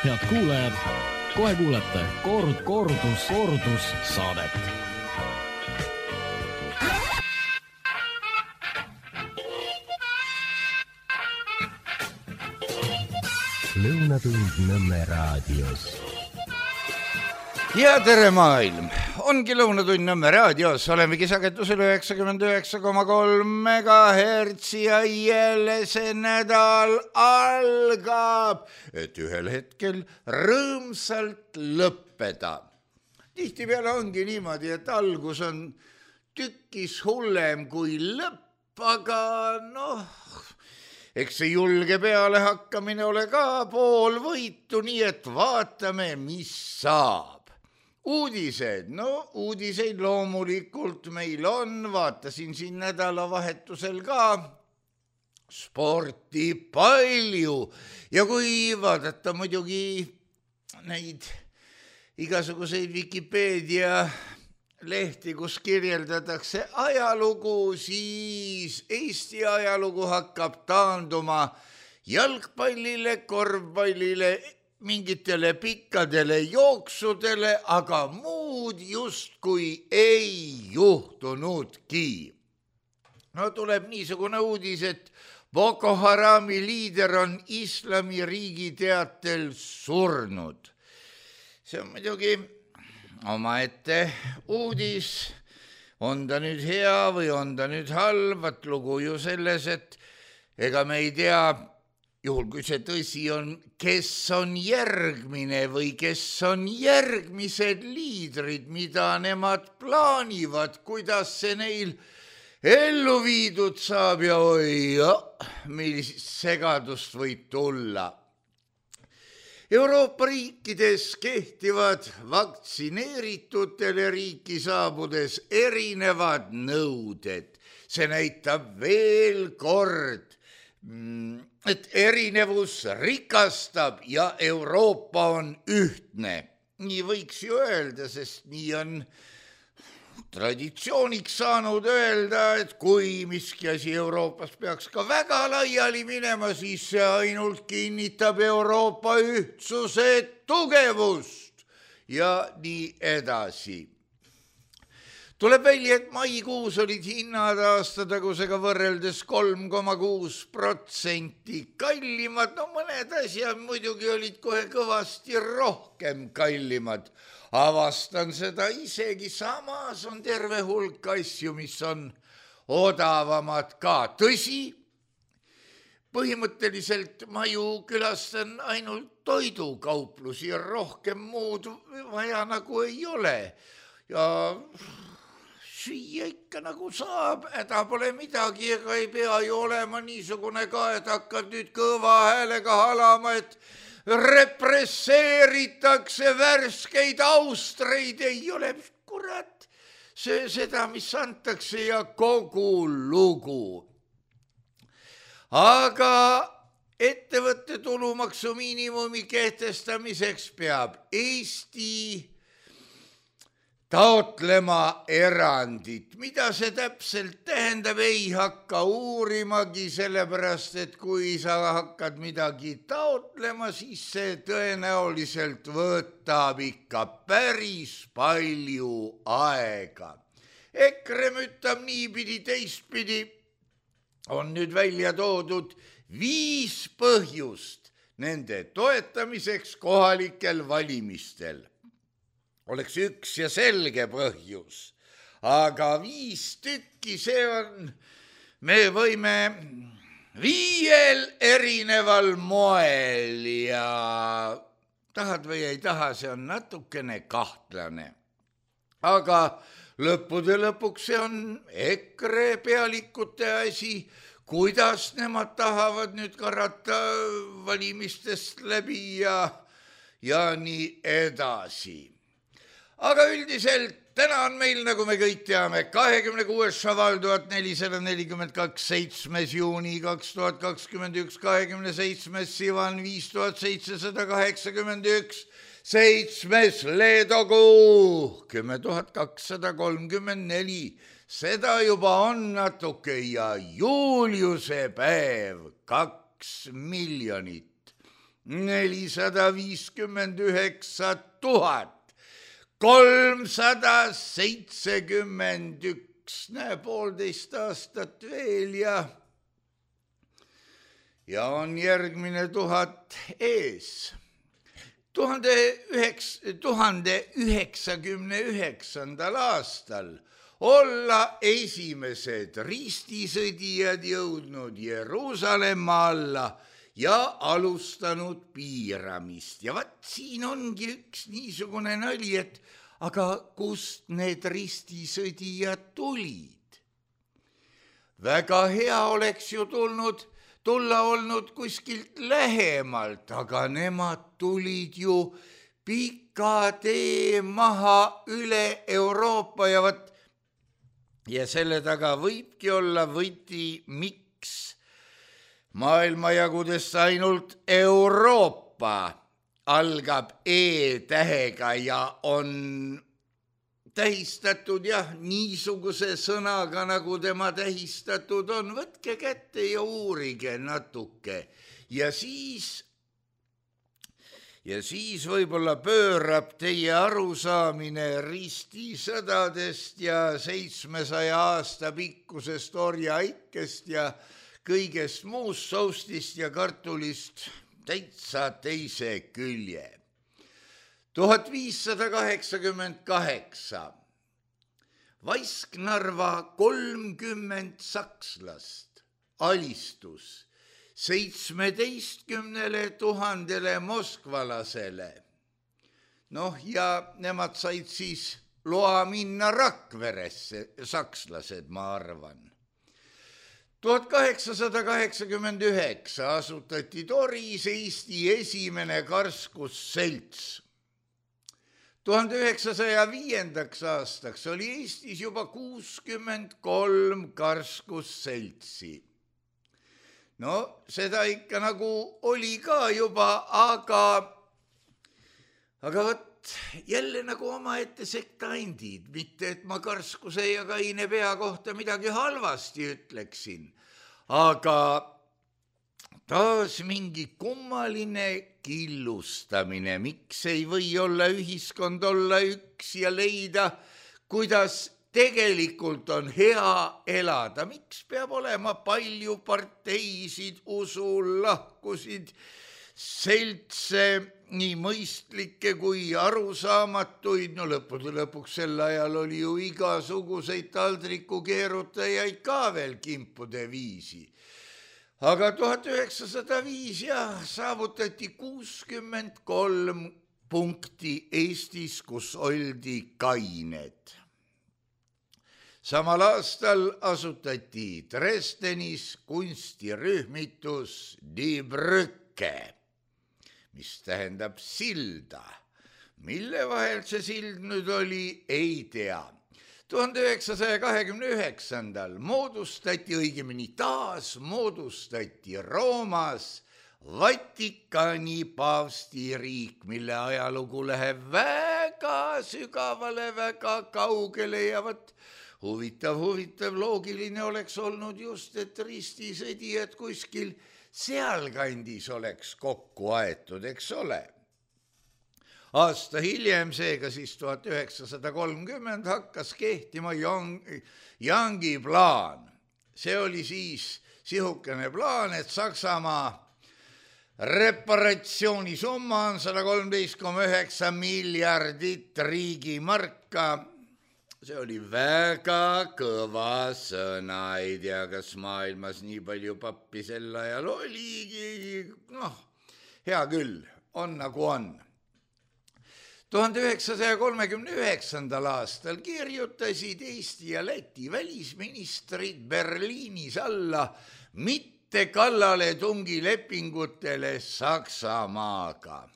Head kuulajad, kohe kuulete kordus saadet. Lõunatund Nõmme raadios. Ja tere maailm! Ongi Lõunatund Nõmme raadios, olemegi sagedusel 99,3 MHz ja jälle see nädal algab, et ühel hetkel rõõmsalt lõppeda. Tihtipeale ongi niimoodi, et algus on tükkis hullem kui lõpp, aga eks see julge peale hakkamine ole ka pool võitu, nii et vaatame, mis saab. Uudised, uudiseid loomulikult meil on, vaatasin siin nädalavahetusel ka sporti palju ja kui vaadata muidugi neid igasuguseid Wikipeedia lehti, kus kirjeldatakse ajalugu, siis Eesti ajalugu hakkab taanduma jalgpallile, korvpallile, mingitele pikkadele jooksudele, aga muud justkui ei juhtunudki. Tuleb niisugune uudis, et Boko Harami liider on Islamiriigi teatel surnud. See on muidugi omaette uudis, on ta nüüd hea või on ta nüüd halb, lugu ju selles, et ega me ei tea, juhul kui see tõsi on, kes on järgmine või kes on järgmised liidrid, mida nemad plaanivad, kuidas see neil ellu viidud saab ja millist segadust võib tulla. Euroopa riikides kehtivad vaktsineeritutele riiki saabudes erinevad nõuded. See näitab veel kord, et erinevus rikastab ja Euroopa on ühtne. Nii võiks ju öelda, sest nii on traditsiooniks saanud öelda, et kui miski asi Euroopas peaks ka väga laiali minema, siis see ainult kinnitab Euroopa ühtsuse tugevust ja nii edasi. Tuleb välja, et maikuus olid hinnad aastatagusega võrreldes 3,6% kallimad. Mõned asjad muidugi olid kohe kõvasti rohkem kallimad. Avastan seda isegi, samas on terve hulk asju, mis on odavamad ka. Tõsi, põhimõtteliselt ma ju külastan ainult toidukauplusi ja rohkem muud vaja nagu ei ole. Ja süüa ikka nagu saab, häda pole midagi, ega ei pea ju olema niisugune ka, et hakkad nüüd kõva häälega halama, et represseeritakse värskeid austreid, ei ole kurat seda, mis antakse ja kogu lugu. Aga ettevõtte tulumaksu miinimumi kehtestamiseks peab Eesti taotlema erandit. Mida see täpselt tähendab, ei hakka uurimagi, sellepärast, et kui sa hakkad midagi taotlema, siis see tõenäoliselt võtab ikka päris palju aega. EKRE mütab niipidi teistpidi, on nüüd välja toodud 5 põhjust nende toetamiseks kohalikel valimistel. Oleks üks ja selge põhjus, aga 5 tükki, see on, me võime 5 erineval moel ja tahad või ei taha, see on natukene kahtlane. Aga lõppude lõpuks see on EKRE pealikute asi, kuidas nemad tahavad nüüd karata valimistest läbi ja nii edasi. Aga üldiselt täna on meil, nagu me kõik teame, 26. šaval 1442, 7. juuni 2021, 27. sivan 5781, 7. leedokuu 10234. Seda juba on natuke ja Juliuse päev 2 miljonit. 459 371. Näe, 1,5 aastat veel ja on järgmine 1000 ees. 1099. aastal olla esimesed ristisõdijad jõudnud Jeruusalemma alla ja alustanud piiramist. Ja vaat siin ongi üks niisugune nali, et aga kust need ristisõdijad tulid? Väga hea oleks ju tulla olnud kuskilt lähemalt, aga nemad tulid ju pika tee maha üle Euroopa ja selle taga võibki olla võti, miks maailmajagudest ainult Euroopa algab E-tähega ja on tähistatud niisuguse sõnaga, nagu tema tähistatud on. Võtke kätte ja uurige natuke ja siis võib-olla pöörab teie arusaamine ristisõdadest ja 700 aasta pikkusest orjaikest ja kõigest muust soustist ja kartulist täitsa teise külje. 1588. Vaisknarva 30 sakslast alistus 17 000 moskvalasele. Ja nemad said siis loa minna Rakveresse, sakslased, ma arvan. 1889 asutati Toris Eesti esimene karskusselts. 1905. aastaks oli Eestis juba 63 karskusseltsi. Seda ikka nagu oli ka juba, aga võt jälle nagu omaette sektaindid, mitte et ma Karskuse ja Kaine pea kohta midagi halvasti ütleksin, aga taas mingi kummaline killustamine, miks ei või olla ühiskond olla üks ja leida, kuidas tegelikult on hea elada, miks peab olema palju parteisid, usulahkusid, seltse, nii mõistlikke kui arusaamatuid, lõppude lõpuks sel ajal oli ju igasuguseid taldrikukeerutajaid ka veel kimpude viisi. Aga 1905 saavutati 63 punkti Eestis, kus oldi kained. Samal aastal asutati Dresdenis kunstirühmitus Die Brücke, mis tähendab silda. Mille vahel see sild nüüd oli, ei tea. 1929. moodustati, õigemini taas moodustati Roomas Vatikani paavstiriik, mille ajalugu läheb väga sügavale, väga kaugele ja huvitav, loogiline oleks olnud just, et ristisõdijad kuskil sealkandis oleks kokku aetud, eks ole. Aasta hiljem, seega siis 1930 hakkas kehtima Youngi plaan. See oli siis sihukene plaan, et Saksamaa reparatsioonisumma on 113,9 miljardit riigimarka. See oli väga kõva sõna, ei tea, kas maailmas nii palju pappi sel ajal oligi, hea küll, on nagu on. 1939. aastal kirjutasid Eesti ja Läti välisministrid Berliinis alla mitte kallaletungi lepingutele Saksamaaga.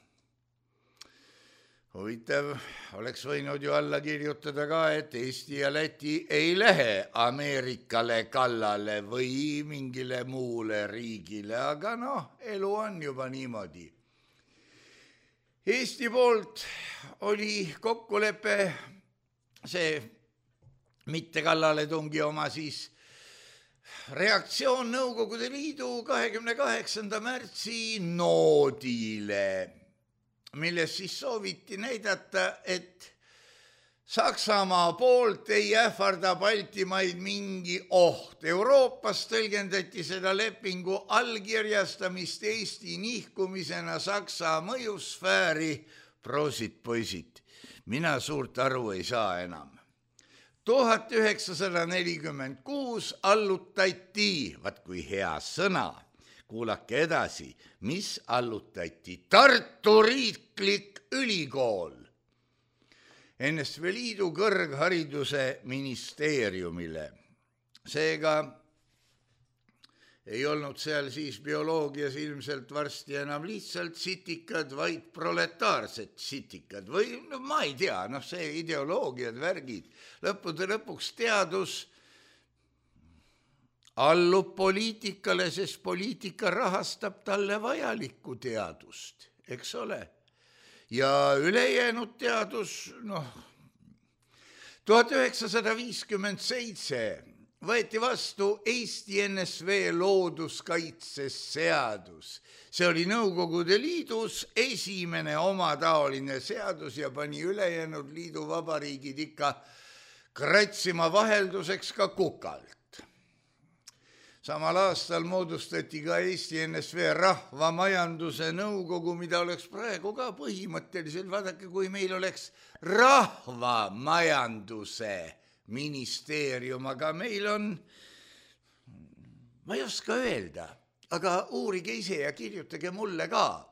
Huvitav, oleks võinud ju alla kirjutada ka, et Eesti ja Läti ei lähe Ameerikale kallale või mingile muule riigile, aga elu on juba niimoodi. Eesti poolt oli kokkulepe see mitte kallaletungi oma siis reaktsioon Nõukogude Liidu 28. märtsi noodile, milles siis sooviti näidata, et Saksamaa poolt ei ähvarda Baltimaid mingi oht. Euroopas tõlgendati seda lepingu allkirjastamist Eesti nihkumisena Saksa mõjusfääri. Prosit, poisid, mina suurt aru ei saa enam. 1946 allutati, vaat kui hea sõna, kuulake edasi, mis allutati, Tartu Riiklik Ülikool NSV Liidu kõrghariduse ministeeriumile. Seega ei olnud seal siis bioloogias ilmselt varsti enam lihtsalt sitikad, vaid proletaarsed sitikad või no, ma ei tea, see ideoloogiad, värgid, lõppude lõpuks teadus allub poliitikale, sest poliitika rahastab talle vajalikku teadust, eks ole. Ja ülejäänud teadus, 1957 võeti vastu Eesti NSV looduskaitseseadus. See oli Nõukogude Liidus esimene omataoline seadus ja pani ülejäänud liidu vabariigid ikka kratsima vahelduseks ka kukalt. Samal aastal moodustati ka Eesti NSV rahvamajanduse nõukogu, mida oleks praegu ka põhimõtteliselt, vaadake, kui meil oleks rahvamajanduse ministeerium, aga meil on, ma ei oska öelda, aga uurige ise ja kirjutage mulle ka.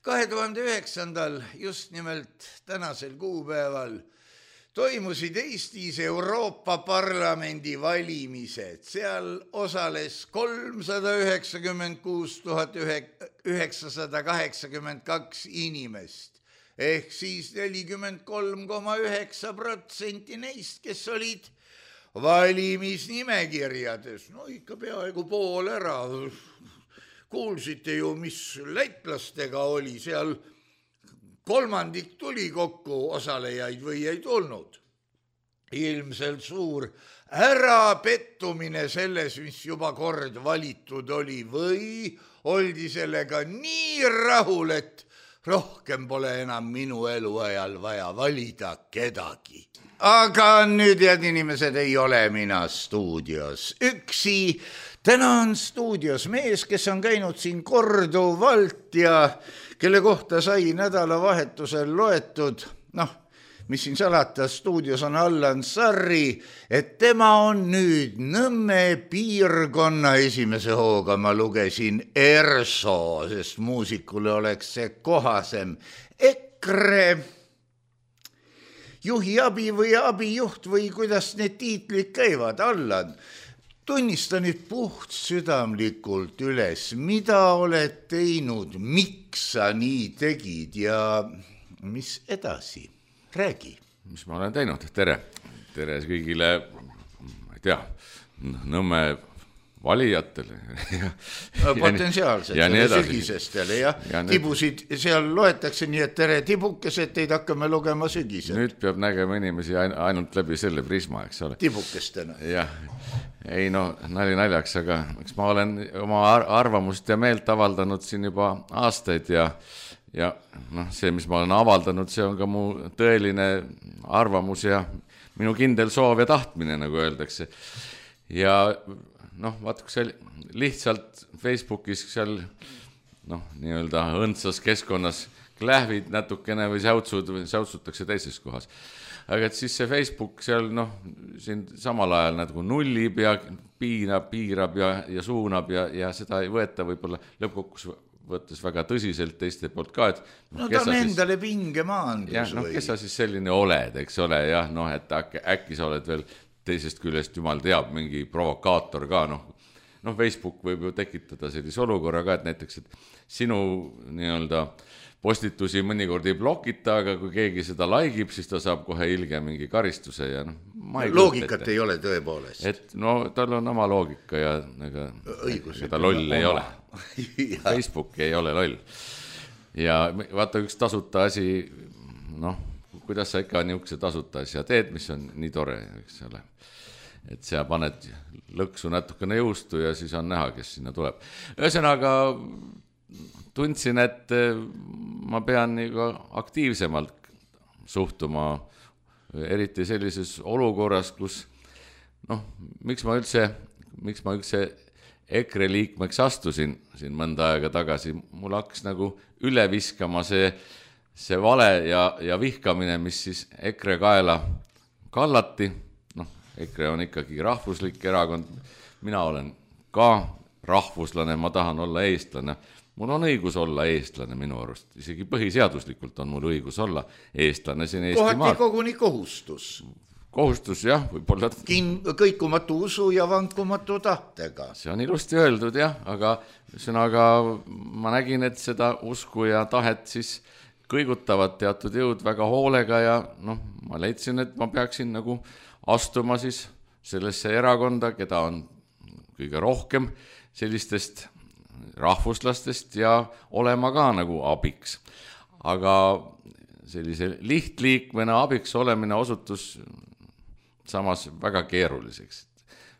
2009. just nimelt tänasel kuupäeval toimusid Eestis Euroopa Parlamendi valimised. Seal osales 396 982 inimest. Ehk siis 43,9% neist, kes olid valimisnimekirjades. No ikka peaaegu pool ära. Kuulsite ju, mis lätlastega oli seal. Kolmandik tuli kokku osalejaid või ei tulnud. Ilmselt suur ärapettumine selles, mis juba kord valitud oli, või oldi sellega nii rahul, et rohkem pole enam minu eluajal vaja valida kedagi. Aga nüüd, head inimesed, ei ole mina stuudios üksi. Täna on stuudios mees, kes on käinud siin korduvalt ja kelle kohta sai nädalavahetusel loetud, mis siin salata, stuudios on Allan Sarri, et tema on nüüd Nõmme piirkonna esimese hooga, ma lugesin ERSO, sest muusikule oleks see kohasem, EKRE juhi abi või abijuht või kuidas need tiitlid käivad. Allan, tunnista nüüd puht südamlikult üles, mida oled teinud, miks sa nii tegid ja mis edasi? Räägi. Mis ma olen teinud? Tere kõigile, ma ei tea, Nõmme valijatele. Potentsiaalsetele, sügisestele ja tibusid seal loetakse, nii et tere tibukesed, teid hakkame lugema sügised. Nüüd peab nägema inimesi ainult läbi selle prisma, eks ole. Tibukestena. Jah, ei nali naljaks, aga eks ma olen oma arvamust ja meelt avaldanud siin juba aastaid ja see, mis ma olen avaldanud, see on ka mu tõeline arvamus ja minu kindel soov ja tahtmine, nagu öeldakse. Ja vaat kui see lihtsalt Facebookis seal nii-öelda õndsas keskkonnas klähvid natukene või säutsutakse teises kohas. Aga et siis see Facebook seal siin samal ajal nagu nullib ja piirab ja suunab ja seda ei võeta võib-olla lõppkokkus võttes väga tõsiselt teiste poolt ka, et ta on endale pinge maandus või? Kes sa siis selline oled, eks ole, et äkki sa oled veel teisest küljest, jumal teab, mingi provokaator ka, Facebook võib ju tekitada sellise olukorra ka, et näiteks, et sinu nii-öelda postitusi mõnikord ei blokita, aga kui keegi seda laigib, siis ta saab kohe ilge mingi karistuse ja loogikat ei ole tõepoolest. Et tal on oma loogika ja ta loll ei ole. Facebook ei ole loll. Ja vaata üks tasuta asi, kuidas sa ikka niisuguse tasuta asja teed, mis on nii tore, eks ole. et sa paned lõksu natukene juustu ja siis on näha, kes sinna tuleb. Ühesõnaga tundsin, et ma pean nagu aktiivsemalt suhtuma, eriti sellises olukorras, kus miks ma üldse EKRE liikmeks astusin siin mõnda aega tagasi, mul hakkas nagu üle viskama see vale ja vihkamine, mis siis EKRE kaela kallati. EKRE on ikkagi rahvuslik erakond, mina olen ka rahvuslane, ma tahan olla eestlane. Mul on õigus olla eestlane minu arust, isegi põhiseaduslikult on mul õigus olla eestlane siin Eestimaal. Kohati koguni kohustus. Kohustus, jah, võib-olla. Kõikumatu usu ja vankumatu tahtega. See on ilusti öeldud, jah, aga ma nägin, et seda usku ja tahet siis kõigutavad teatud jõud väga hoolega ja ma leidsin, et ma peaksin nagu astuma siis sellesse erakonda, keda on kõige rohkem sellistest rahvuslastest ja olema ka nagu abiks. Aga sellise lihtliikmena abiks olemine osutus samas väga keeruliseks.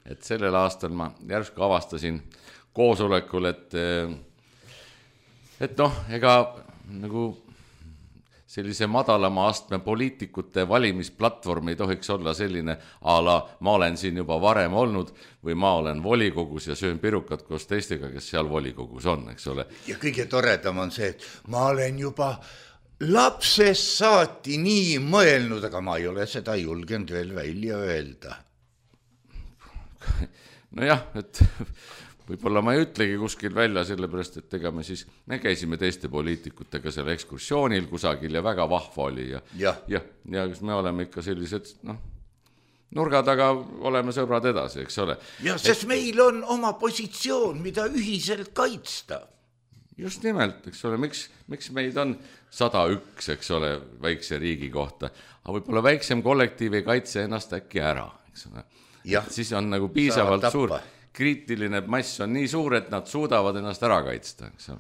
Et sellel aastal ma järsku avastasin koosolekul, et ega nagu sellise madalama astme poliitikute valimisplatvorm ei tohiks olla selline ala, ma olen siin juba varem olnud või ma olen volikogus ja söön pirukat koos teistega, kes seal volikogus on, eks ole. Ja kõige toredam on see, et ma olen juba lapsest saati nii mõelnud, aga ma ei ole seda julgenud veel välja öelda. Nojah, et võib-olla ma ei ütlegi kuskil välja, sellepärast, et ega me käisime teiste poliitikutega seal ekskursioonil kusagil ja väga vahva oli ja me oleme ikka sellised, nurga taga oleme sõbrad edasi, eks ole. Ja sest meil on oma positsioon, mida ühiselt kaitsta. Just nimelt, eks ole, miks meid on 101, eks ole, väikse riigi kohta, aga võib-olla väiksem kollektiiv ei kaitse ennast äkki ära, eks ole. Siis on nagu piisavalt suur, kriitiline mass on nii suur, et nad suudavad ennast ära kaitsta, eks ole.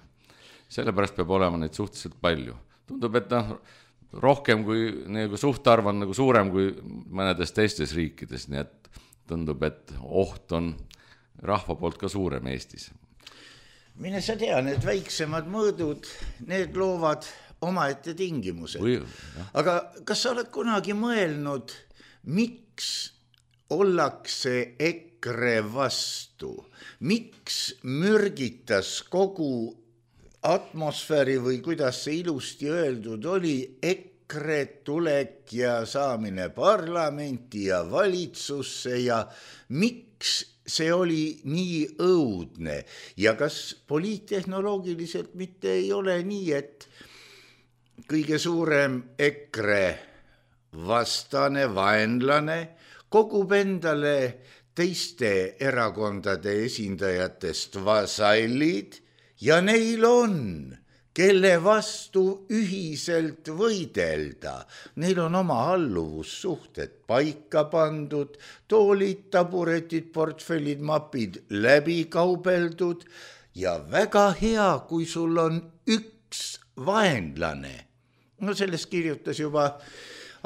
Sellepärast peab olema neid suhteliselt palju. Tundub, et rohkem kui nagu suhtarv on nagu suurem kui mõnedes teistes riikides, nii et tundub, et oht on rahva poolt ka suurem Eestis. Mine sa tea, need väiksemad mõõdud, need loovad omaette tingimused. Aga kas sa oled kunagi mõelnud, miks ollakse EKRE vastu? Miks mürgitas kogu atmosfääri või kuidas see ilusti öeldud oli, EKRE tulek ja saamine parlamenti ja valitsusse ja miks see oli nii õudne ja kas poliittehnoloogiliselt mitte ei ole nii, et kõige suurem EKRE vastane, vaenlane kogub endale teiste erakondade esindajatest vasallid ja neil on, kelle vastu ühiselt võidelda. Neil on oma alluvussuhted paika pandud, toolid, taburetid, portfellid, mapid läbi kaubeldud ja väga hea, kui sul on üks vaenlane. Sellest kirjutas juba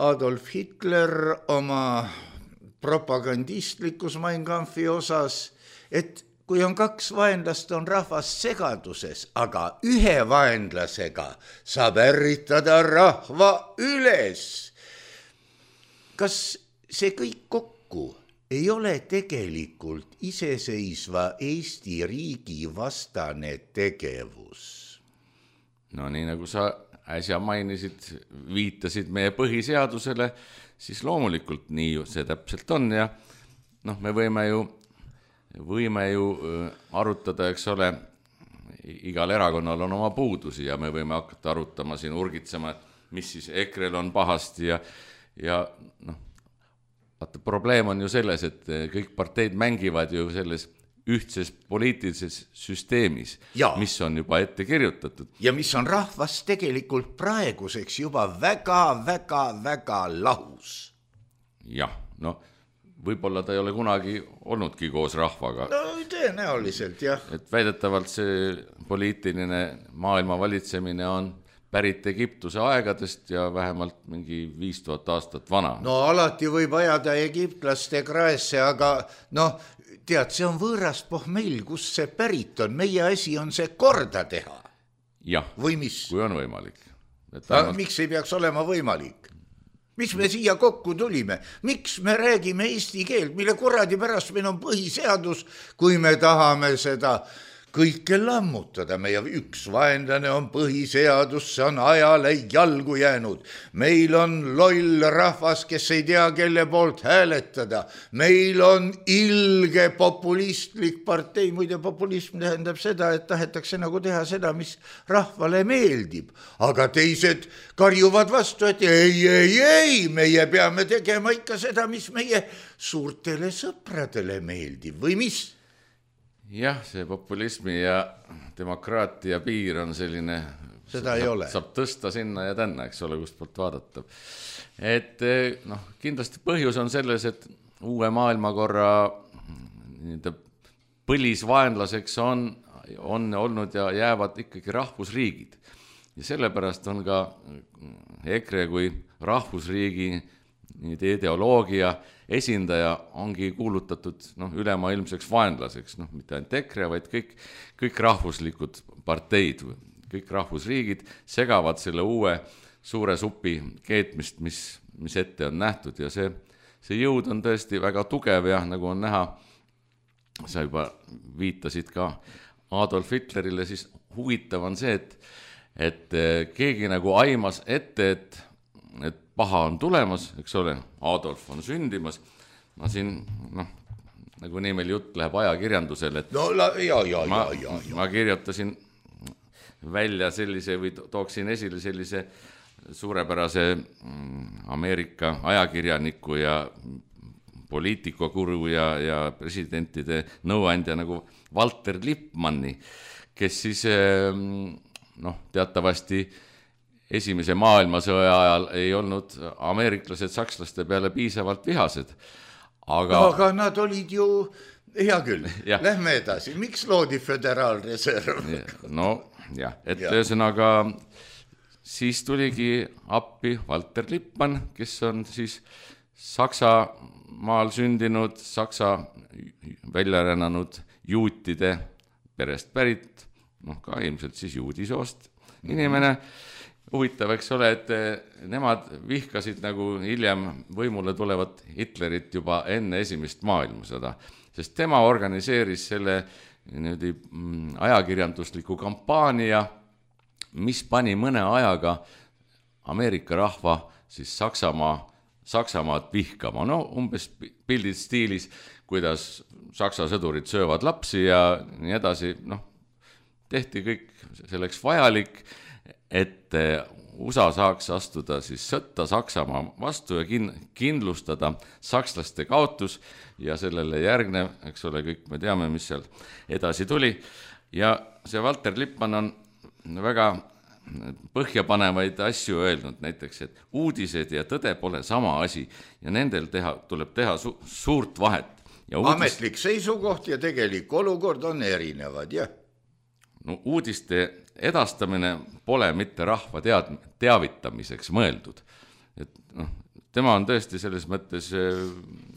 Adolf Hitler oma propagandistlikus Mein Kampfi osas, et kui on kaks vaenlast, on rahvas segaduses, aga ühe vaenlasega saab ärritada rahva üles. Kas see kõik kokku ei ole tegelikult iseseisva Eesti riigi vastane tegevus? No nii nagu sa äsja mainisid, viitasid meie põhiseadusele, siis loomulikult nii see täpselt on ja me võime ju arutada, eks ole, igal erakonnal on oma puudusi ja me võime hakata arutama siin urgitsema, mis siis EKRE-l on pahasti ja probleem on ju selles, et kõik parteid mängivad ju selles ühtses poliitilises süsteemis, mis on juba ette kirjutatud. Ja mis on rahvas tegelikult praeguseks juba väga lahus. Jah, võib-olla ta ei ole kunagi olnudki koos rahvaga. Tõenäoliselt, jah. Et väidetavalt see poliitiline maailma valitsemine on pärit Egiptuse aegadest ja vähemalt mingi 5000 aastat vana. No alati võib ajada egiptlaste kraesse, aga tead, see on võõras pohmell, kus see pärit on. Meie asi on see korda teha. Jah, või mis? Kui on võimalik. Miks ei peaks olema võimalik? Miks me siia kokku tulime? Miks me räägime eesti keelt, mille kuradi pärast meil on põhiseadus, kui me tahame seda kõike lammutada? Meie üks vaenlane on põhiseadus, see on ajale jalgu jäänud. Meil on loll rahvas, kes ei tea, kelle poolt hääletada. Meil on ilge populistlik partei. Muide, populism tähendab seda, et tahetakse nagu teha seda, mis rahvale meeldib. Aga teised karjuvad vastu, et ei, meie peame tegema ikka seda, mis meie suurtele sõpradele meeldib. Või mis? Jah, see populismi ja demokraatia piir on selline, seda ei ole. Saab tõsta sinna ja tänna, eks ole, kust poolt vaadata. Et kindlasti põhjus on selles, et uue maailmakorra põlisvaenlaseks on olnud ja jäävad ikkagi rahvusriigid. Ja sellepärast on ka EKRE kui rahvusriigi ideoloogia esindaja ongi kuulutatud ülemaailmseks vaenlaseks, mitte ainult EKRE, vaid kõik rahvuslikud parteid, kõik rahvusriigid segavad selle uue suure supi keetmist, mis ette on nähtud ja see jõud on tõesti väga tugev ja nagu on näha, sa juba viitasid ka Adolf Hitlerile, siis huvitav on see, et keegi nagu aimas ette, et paha on tulemas, eks ole, Adolf on sündimas. Ma siin, nagu nii meil jutt läheb ajakirjandusele, et ma kirjutasin välja sellise või tooksin esile sellise suurepärase Ameerika ajakirjaniku ja poliitikakuru ja presidentide nõuandja nagu Walter Lippmanni, kes siis teatavasti Esimese maailmasõja ajal ei olnud ameeriklased sakslaste peale piisavalt vihased. Aga nad olid ju, hea küll, lähme edasi. Miks loodi Föderaalreserv? Ühesõnaga siis tuligi appi Walter Lippmann, kes on siis Saksamaal sündinud, Saksa väljarännanud juutide perest pärit, ka ilmselt siis juudisoost inimene. Huvitav, eks ole, et nemad vihkasid nagu hiljem võimule tulevat Hitlerit juba enne esimest maailmasõda, sest tema organiseeris selle ajakirjandusliku kampaania, mis pani mõne ajaga Ameerika rahva siis Saksamaad vihkama. Umbes pildid stiilis, kuidas Saksa sõdurid söövad lapsi ja nii edasi. Tehti kõik selleks vajalik, et USA saaks astuda siis sõtta Saksamaa vastu ja kindlustada sakslaste kaotus ja sellele järgnev, eks ole, kõik me teame, mis seal edasi tuli. Ja see Walter Lippmann on väga põhjapanevaid asju öelnud, näiteks, et uudised ja tõde pole sama asi ja nendel tuleb teha suurt vahet. Ametlik seisukoht ja tegelik olukord on erinevad, jah. Uudiste edastamine pole mitte rahva teavitamiseks mõeldud. Tema on tõesti selles mõttes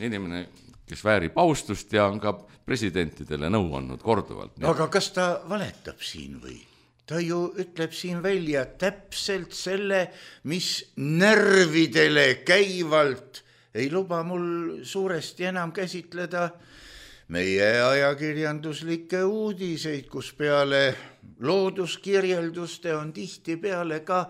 inimene, kes väärib austust ja on ka presidentidele nõu andnud korduvalt. Aga kas ta valetab siin või? Ta ju ütleb siin välja täpselt selle, mis närvidele käivalt ei luba mul suuresti enam käsitleda meie ajakirjanduslikke uudiseid, kus peale looduskirjelduste on tihti peale ka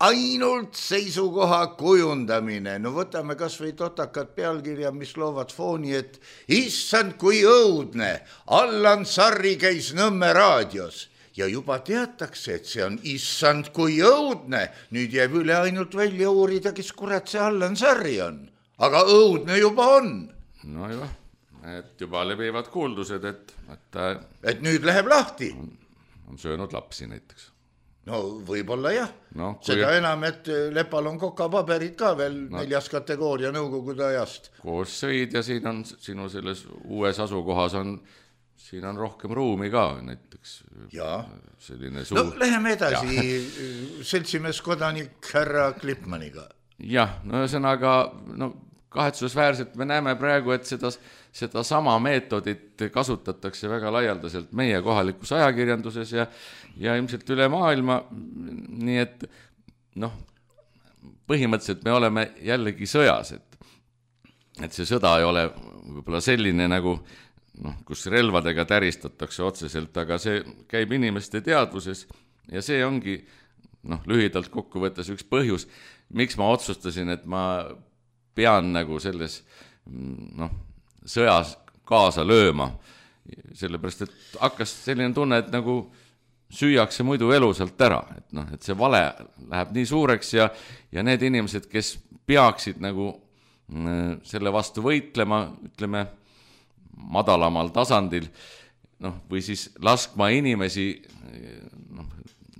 ainult seisukoha kujundamine. Võtame kas või totakad pealkirja, mis loovad fooni, et issand kui õudne, Allan Sarri käis Nõmme raadios ja juba teatakse, et see on issand kui õudne. Nüüd jääb üle ainult välja uurida, kes kurat see Allan Sarri on. Aga õudne juba on. No jah. Et juba levivad kuuldused, et nüüd läheb lahti. On söönud lapsi näiteks. Võib-olla jah. Seda enam, et Lepal on kokapaberid ka veel 4. kategooria nõukogude ajast. Koos sõid ja siin on sinu selles uues asukohas on siin on rohkem ruumi ka näiteks. Ja. Selline suur... No läheme edasi seltsimees kodanik härra Klippmaniga. Jah, no ühesõnaga, kahetsusväärselt me näeme praegu, et seda sama meetodit kasutatakse väga laialdaselt meie kohalikus ajakirjanduses ja ilmselt üle maailma, nii et põhimõtteliselt me oleme jällegi sõjas, et see sõda ei ole võib-olla selline nagu, kus relvadega täristatakse otseselt, aga see käib inimeste teadvuses ja see ongi lühidalt kokkuvõttes üks põhjus, miks ma otsustasin, et ma pean nagu selles sõjas kaasa lööma, sellepärast, et hakkas selline tunne, et nagu süüakse muidu elusalt ära, et see vale läheb nii suureks ja need inimesed, kes peaksid nagu selle vastu võitlema, ütleme, madalamal tasandil, või siis laskma inimesi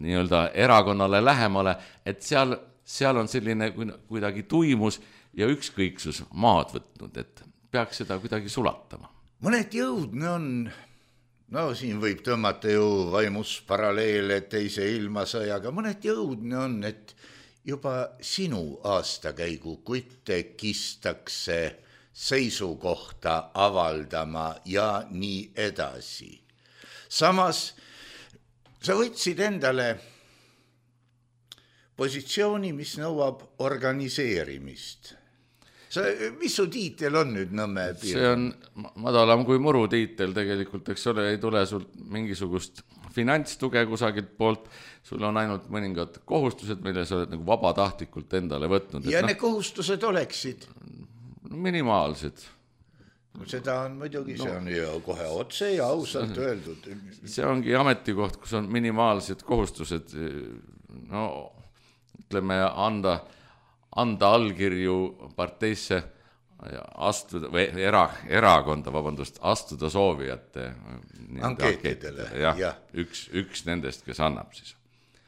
nii-öelda erakonnale lähemale, et seal on selline kuidagi tuimus ja ükskõiksus maad võtnud, et peaks seda kuidagi sulatama. Mõned jõudne on, siin võib tõmmata ju vaimus paralleele teise ilmasõjaga, mõned jõudne on, et juba sinu aastakäigu kutte kistakse seisukohta avaldama ja nii edasi. Samas sa võtsid endale positsiooni, mis nõuab organiseerimist. Mis su tiitel on nüüd Nõmme piirkond? See on madalam kui muru tiitel tegelikult, eks ole, ei tule sul mingisugust finantstuge kusagilt poolt, sul on ainult mõningad kohustused, mille sa oled nagu vabatahtlikult endale võtnud. Ja need kohustused oleksid? Minimaalsed. Seda on muidugi, see on ju kohe otse ja ausalt öeldud. See ongi ametikoht, kus on minimaalsed kohustused, ütleme, anda allkirju parteisse astuda, või erakonda, astuda soovijate ankeetidele. Jah, üks nendest, kes annab siis.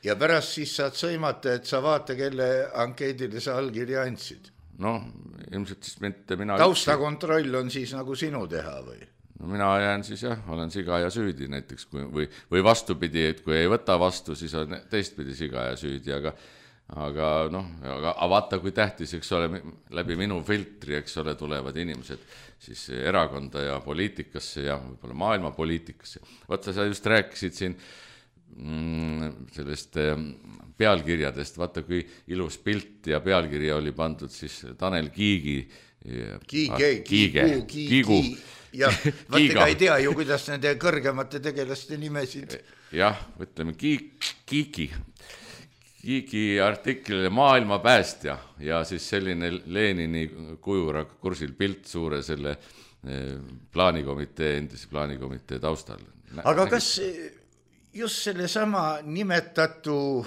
Ja pärast siis saad sõimata, et sa vaata, kelle ankeedile sa allkirja andsid. Ilmselt siis mitte mina... Taustakontroll on siis nagu sinu teha või? Mina jään siis olen siga ja süüdi näiteks, või vastupidi, et kui ei võta vastu, siis on teistpidi siga ja süüdi, aga vaata, kui tähtis, eks ole, läbi minu filtri, eks ole, tulevad inimesed siis erakonda ja poliitikasse ja võib-olla maailma poliitikasse. Vaata, sa just rääkisid siin sellest pealkirjadest, vaata, kui ilus pilt ja pealkirja oli pandud siis Tanel Kiigu. Jah, vaatega ei tea ju, kuidas nende kõrgemate tegelaste nimesid. Jah, ütleme, Kiigi artiklile maailma päästja ja siis selline Lenini kujura kursil pilt suure selle endise plaanikomitee taustal. Aga kas just selle sama nimetatu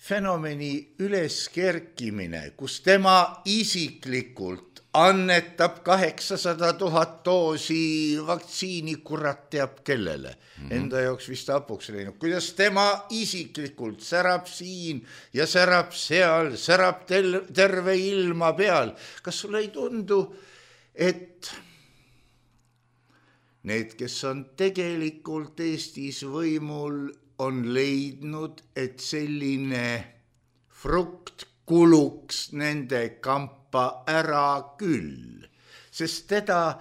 fenomeni üleskerkimine, kus tema isiklikult annetab 800 000 doosi vaktsiini, kurat teab kellele. Enda jaoks vist hapuks läinud. Kuidas tema isiklikult särab siin ja särab seal, särab terve ilma peal. Kas sulle ei tundu, et need, kes on tegelikult Eestis võimul, on leidnud, et selline frukt kuluks nende kampa ära küll, sest teda,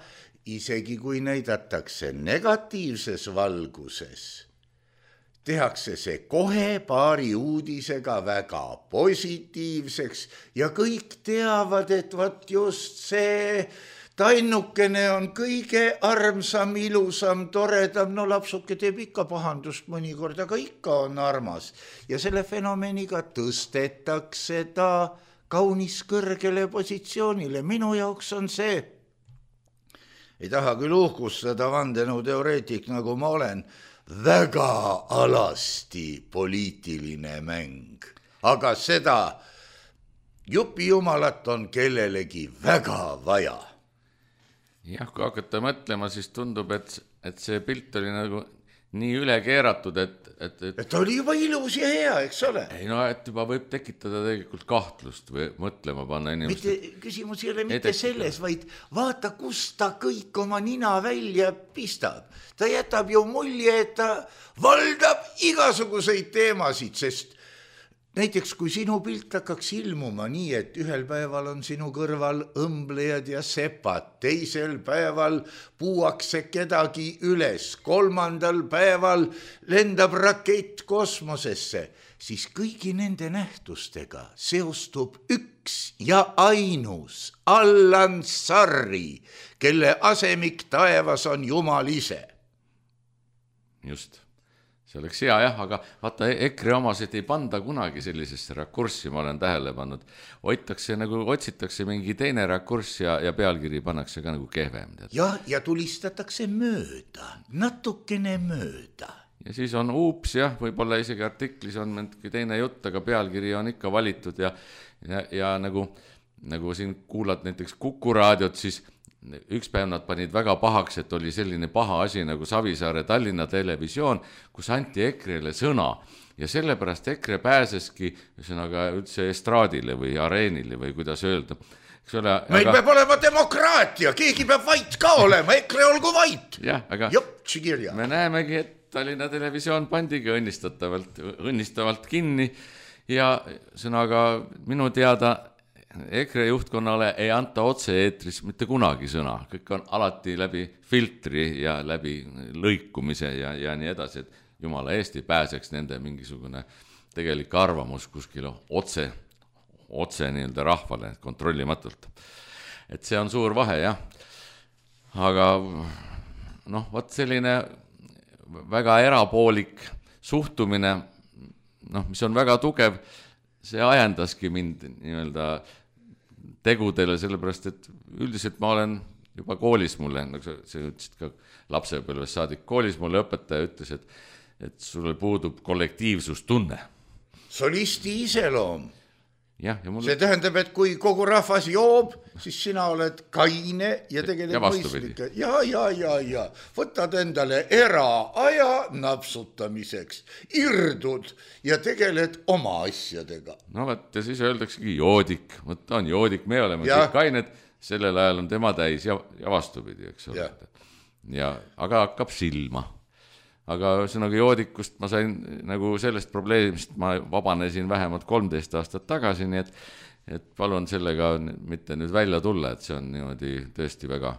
isegi kui näidatakse negatiivses valguses, tehakse see kohe paari uudisega väga positiivseks ja kõik teavad, et vaat just see tannukene on kõige armsam, ilusam, toredam, lapsuke teeb ikka pahandust mõnikord, aga ikka on armas. Ja selle fenomeniga tõstetakse ta kaunis kõrgele positsioonile. Minu jaoks on see, ei taha küll uhkustada vandenõu teoreetik, nagu ma olen, väga alasti poliitiline mäng. Aga seda jupijumalat on kellelegi väga vaja. Jah, kui hakata mõtlema, siis tundub, et see pilt oli nagu nii üle keeratud, et oli juba ilus ja hea, eks ole. Ei no, et juba võib tekitada tegelikult kahtlust või mõtlema panna inimest. Küsimus ei ole mitte selles, vaid vaata, kus ta kõik oma nina välja pistab. Ta jätab ju mulje, et ta valdab igasuguseid teemasid, sest näiteks kui sinu pilt hakkaks ilmuma nii, et ühel päeval on sinu kõrval õmblejad ja sepad, teisel päeval puuakse kedagi üles, 3. päeval lendab rakett kosmosesse, siis kõigi nende nähtustega seostub üks ja ainus Allan Sarri, kelle asemik taevas on Jumal ise. Just. See oleks hea jah, aga vaata EKRE omasid ei panda kunagi sellisesse rakurssi, ma olen tähele pannud. Otsitakse mingi teine rakurss ja pealkiri pannakse ka nagu kehvem. Ja tulistatakse mööda, natukene mööda. Ja siis on uups jah, võib-olla isegi artiklis on mingi teine jutt, aga pealkiri on ikka valitud ja nagu siin kuulad näiteks Kuku raadiot, siis üks päev nad panid väga pahaks, et oli selline paha asi nagu Savisaare Tallinna Televisioon, kus anti EKRE-le sõna ja sellepärast EKRE pääseski üldse estraadile või areenile või kuidas öelda. Meil peab olema demokraatia, keegi peab vait ka olema, EKRE olgu vait. Jah, aga me näemegi, et Tallinna Televisioon pandigi õnnistavalt kinni ja minu teada EKRE juhtkonnale ei anta otse-eetris mitte kunagi sõna, kõik on alati läbi filtri ja läbi lõikumise ja nii edasi, et jumala eest ei pääseks nende mingisugune tegelik arvamus kuskil otse nii-öelda rahvale kontrollimatult. Et see on suur vahe, jah. Aga võt selline väga erapoolik suhtumine, mis on väga tugev, see ajendaski mind nii-öelda tegudele, sellepärast, et üldiselt ma olen juba koolis mulle, nagu sa ütlesid ka lapsepõlves saadik, koolis mulle õpetaja ütles, et sulle puudub kollektiivsustunne. Solisti iseloom. Ja see tähendab, et kui kogu rahvas joob, siis sina oled kaine ja tegelikult mõistlik. Ja. Võtad endale eraaja napsutamiseks, irdud ja tegeled oma asjadega. No võt, ja siis öeldaksegi joodik. Võt on joodik, me oleme kõik kained, sellel ajal on tema täis ja vastupidi, eks ole. Aga hakkab silma. Aga joodikust ma sain nagu sellest probleemist, ma vabanesin vähemalt 13 aastat tagasi, nii et palun sellega mitte nüüd välja tulla, et see on niimoodi tõesti väga,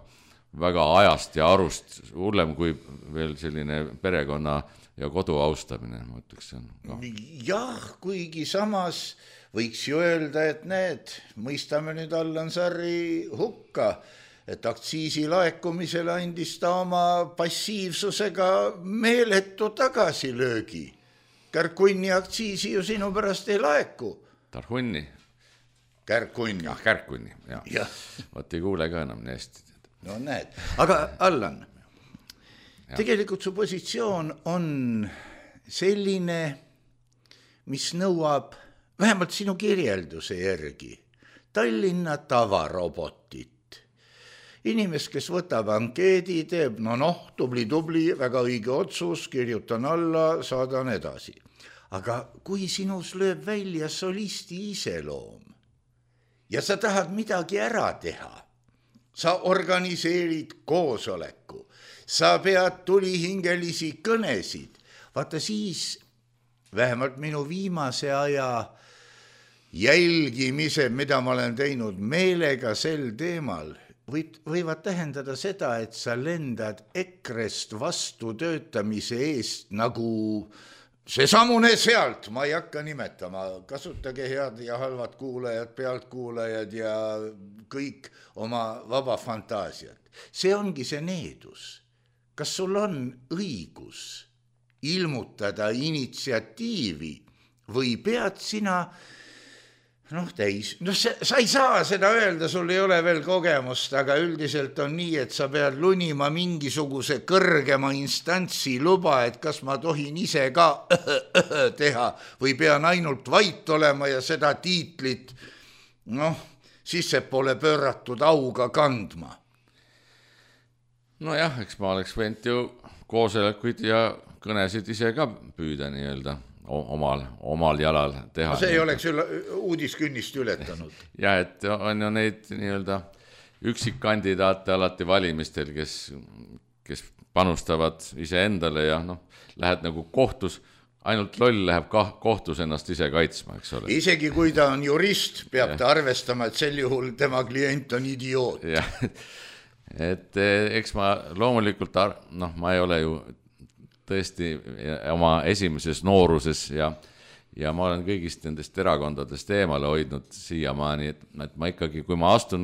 väga ajast ja arust hullem kui veel selline perekonna ja kodu austamine, ma ütleks see on. Jah, kuigi samas võiks ju öelda, et mõistame nüüd Allan Sarri hukka, et aktsiisi laekumisele andis ta oma passiivsusega meeletu tagasilöögi. Kärkunni aktsiisi ju sinu pärast ei laeku. Tarhunni? Kärkunni. Kärkunni, jah. Võt ei kuule ka enam nii hästi. No näed. Aga Allan, tegelikult su positsioon on selline, mis nõuab vähemalt sinu kirjelduse järgi Tallinna tavarobotit. Inimest, kes võtab ankeedi, teeb, tubli, väga õige otsus, kirjutan alla, saadan edasi. Aga kui sinus lööb välja solisti iseloom ja sa tahad midagi ära teha, sa organiseerid koosoleku, sa pead tulihingelisi kõnesid, vaata siis vähemalt minu viimase aja jälgimise, mida ma olen teinud meelega sel teemal, võivad tähendada seda, et sa lendad EKRE-st vastu töötamise eest nagu see samune sealt, ma ei hakka nimetama, kasutage head ja halvad kuulajad, pealtkuulajad ja kõik oma vaba fantaasiat. See ongi see needus. Kas sul on õigus ilmutada initsiatiivi või pead sina täis. Sa ei saa seda öelda, sul ei ole veel kogemust, aga üldiselt on nii, et sa pead lunima mingisuguse kõrgema instantsi luba, et kas ma tohin ise ka teha või pean ainult vait olema ja seda tiitlit, sissepoole pööratud auga kandma. Nojah, eks ma oleks võinud ju koosolekuid ja kõnesid ise ka püüda nii-öelda omal jalal teha. See ei oleks uudiskünnist ületanud. Ja, et on ju neid nii-öelda üksikkandidaate alati valimistel, kes panustavad ise endale ja lähed nagu kohtus, ainult loll läheb kohtus ennast ise kaitsma, eks ole. Isegi kui ta on jurist, peab ta arvestama, et sel juhul tema klient on idioot. Ja, et eks ma loomulikult, ma ei ole ju tõesti oma esimeses nooruses ja ma olen kõigist nendest erakondadest eemale hoidnud siiamaani, et ma ikkagi, kui ma astun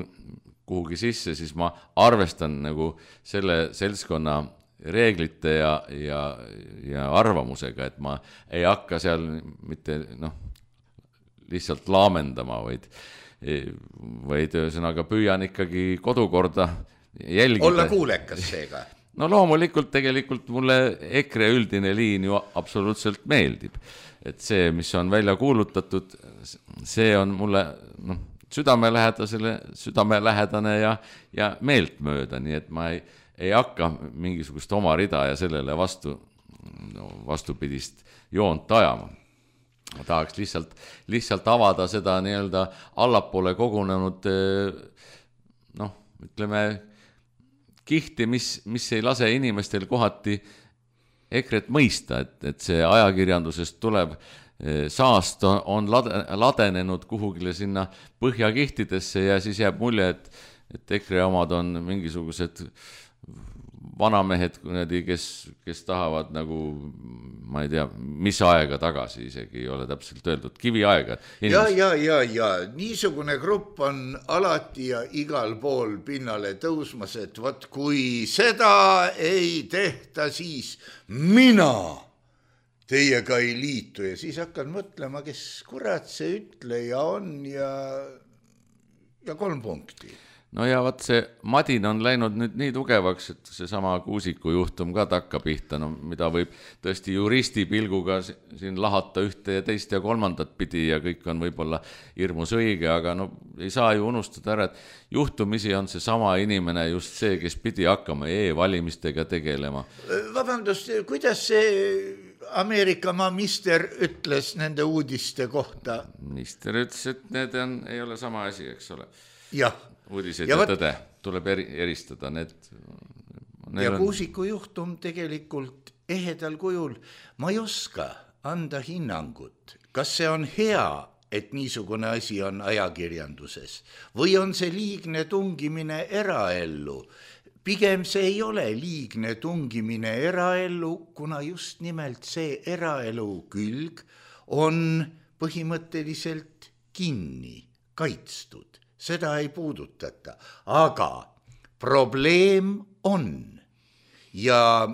kuhugi sisse, siis ma arvestan nagu selle seltskonna reeglite ja arvamusega, et ma ei hakka seal mitte lihtsalt laamendama, vaid ühesõnaga püüan ikkagi kodukorda jälgida. Olla kuulekas seega. No loomulikult tegelikult mulle EKRE üldine liin ju absoluutselt meeldib. Et see, mis on välja kuulutatud, see on mulle südamelähedane ja meeltmööda, nii et ma ei hakka mingisugust oma rida ja sellele vastupidist joont ajama. Ma tahaks lihtsalt avada seda nii-öelda allapoole kogunenud ütleme kihti, mis ei lase inimestel kohati EKRE-t mõista, et see ajakirjandusest tuleb saast on ladenenud kuhugile sinna põhjakihtidesse ja siis jääb mulje, et EKRE omad on mingisugused vanamehed, kes tahavad nagu, ma ei tea, mis aega tagasi isegi ei ole täpselt öeldud, kiviaega. Ja, niisugune grupp on alati ja igal pool pinnale tõusmas, et võt, kui seda ei tehta, siis mina teiega ei liitu ja siis hakkan mõtlema, kes kurat see ütleja on ja 3 punkti. No ja vaat see madin on läinud nüüd nii tugevaks, et see sama Kuusiku juhtum ka takka pihta, mida võib tõesti juristi pilguga siin lahata ühte ja teist ja kolmandat pidi ja kõik on võib-olla hirmus õige, aga ei saa ju unustada ära, et juhtumisi on see sama inimene just see, kes pidi hakkama e-valimistega tegelema. Vabandust, kuidas see Ameerika mister ütles nende uudiste kohta? Minister ütles, et need ei ole sama asi, eks ole. Jah. Uudised ja tõde tuleb eristada. Ja Kuusiku juhtum tegelikult ehedal kujul. Ma ei oska anda hinnangut, kas see on hea, et niisugune asi on ajakirjanduses või on see liigne tungimine eraellu. Pigem see ei ole liigne tungimine eraellu, kuna just nimelt see eraelu külg on põhimõtteliselt kinni, kaitstud. Seda ei puudutata, aga probleem on ja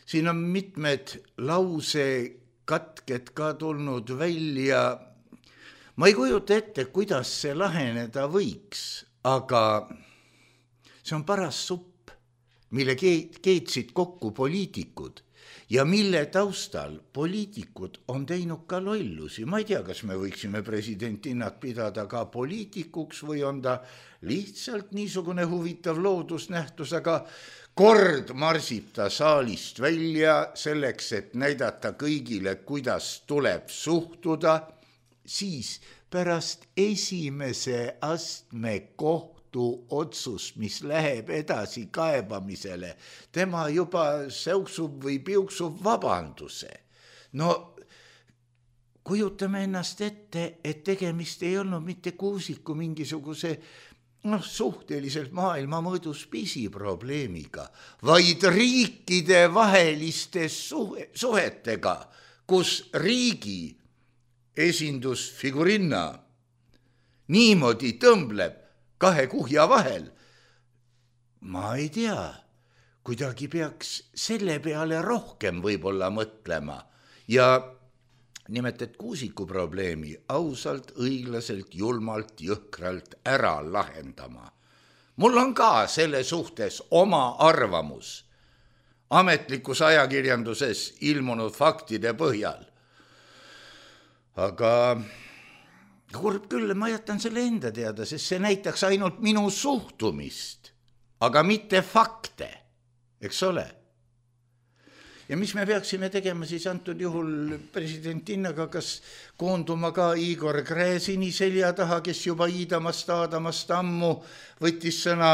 siin on mitmed lausekatked ka tulnud välja. Ma ei kujuta ette, kuidas see laheneda võiks, aga see on paras supp, mille keetsid kokku poliitikud ja mille taustal poliitikud on teinud ka lollusi. Ma ei tea, kas me võiksime presidentinnat pidada ka poliitikuks või on ta lihtsalt niisugune huvitav loodusnähtus, aga kord marsib ta saalist välja selleks, et näidata kõigile, kuidas tuleb suhtuda, siis pärast esimese astme otsust, mis läheb edasi kaebamisele, tema juba säuksub või piuksub vabanduse. No kujutame ennast ette, et tegemist ei olnud mitte Kuusiku mingisuguse suhteliselt maailma mõõdus pisiprobleemiga, vaid riikide vaheliste suhetega, kus riigi esindusfigurinna niimoodi tõmbleb 2 kuhja vahel. Ma ei tea, kuidagi peaks selle peale rohkem võib-olla mõtlema ja nimelt, et Kuusiku probleemi ausalt, õiglaselt, julmalt, jõhkralt ära lahendama. Mul on ka selle suhtes oma arvamus ametlikus ajakirjanduses ilmunud faktide põhjal. Aga kurb küll, ma jätan selle enda teada, sest see näitaks ainult minu suhtumist, aga mitte fakte, eks ole. Ja mis me peaksime tegema siis antud juhul presidentinnaga, kas koonduma ka Igor Gräzini selja taha, kes juba Aadamast ammu võttis sõna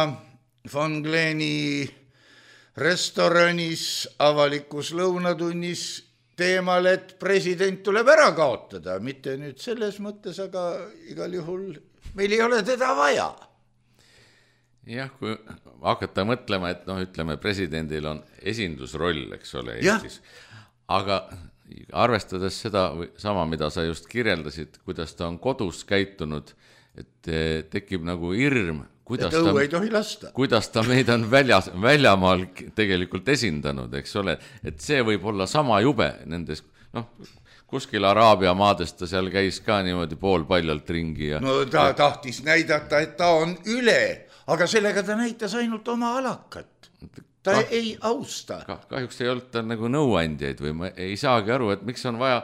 von Gleni restoranis avalikus lõunatunnis teemal, et president tuleb ära kaotada, mitte nüüd selles mõttes, aga igal juhul meil ei ole teda vaja. Jah, kui hakata mõtlema, et ütleme, presidendil on esindusroll, eks ole, Eestis. Aga arvestades seda sama, mida sa just kirjeldasid, kuidas ta on kodus käitunud, et tekib nagu hirm, kuidas ta meid on väljamaal tegelikult esindanud, eks ole, et see võib olla sama jube nendes, kuskil Araabia maadest ta seal käis ka niimoodi poolpaljalt ringi. No ta tahtis näidata, et ta on üle, aga sellega ta näitas ainult oma alakat. Ta ei austa. Kahjuks ei olnud ta nagu nõuandjaid või ma ei saagi aru, et miks on vaja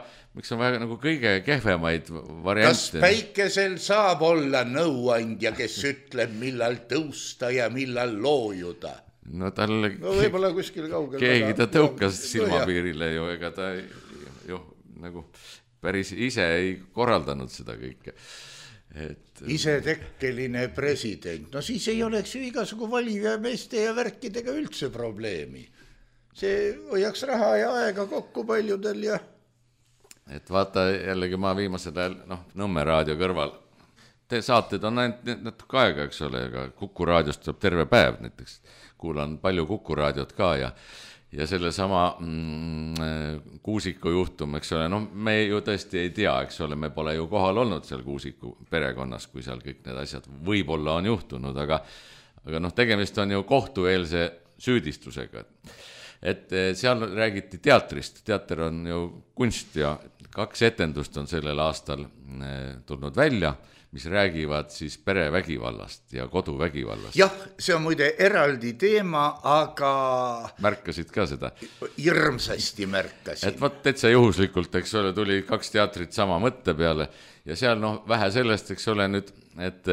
nagu kõige kehvemaid variante. Kas päikesel saab olla nõuandja, kes ütleb, millal tõusta ja millal loojuda? No talle võib-olla kuskil kaugel. Keegi ta tõukas silmapiirile ju, ega ta nagu päris ise ei korraldanud seda kõike. Isetekkeline president, no siis ei oleks ju igasugu valijameeste ja värkidega üldse probleemi. See hoiaks raha ja aega kokku paljudel ja... Et vaata jällegi ma viimasel ajal, Nõmme raadio kõrval, te saated on ainult natuke aega, eks ole, aga Kuku raadiost saab terve päev näiteks, kuulan palju Kuku raadiot ka ja selle sama Kuusiku juhtum, eks ole, me ju tõesti ei tea, eks ole, me pole ju kohal olnud seal Kuusiku perekonnas, kui seal kõik need asjad võib-olla on juhtunud, aga tegemist on ju kohtueelse süüdistusega. Et seal räägiti teatrist, teater on ju kunst ja 2 etendust on sellel aastal tulnud välja, mis räägivad siis perevägivallast ja koduvägivallast. Jah, see on muide eraldi teema, aga... Märkasid ka seda? Hirmsasti märkasin. Et vaat täitsa juhuslikult, eks ole, tuli 2 teatrit sama mõtte peale ja seal vähe sellest, eks ole nüüd, et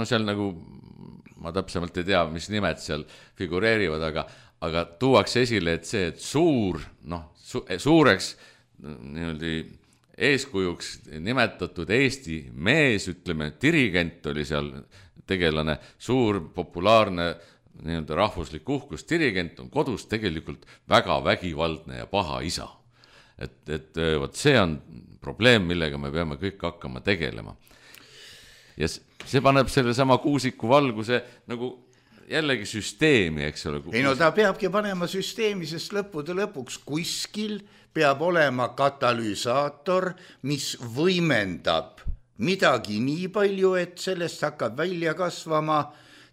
seal nagu, ma täpsemalt ei tea, mis nimed seal figureerivad, aga tuuakse esile, et see, et suureks niimoodi eeskujuks nimetatud Eesti mees, ütleme, dirigent oli seal tegelane, suur, populaarne rahvuslik uhkus, dirigent on kodus tegelikult väga vägivaldne ja paha isa. Et see on probleem, millega me peame kõik hakkama tegelema. Ja see paneb selle sama Kuusiku valguse nagu jällegi süsteemi, eks ole. Ei ta peabki panema süsteemi, sest lõpuks kuskil peab olema katalüsaator, mis võimendab midagi nii palju, et sellest hakkab välja kasvama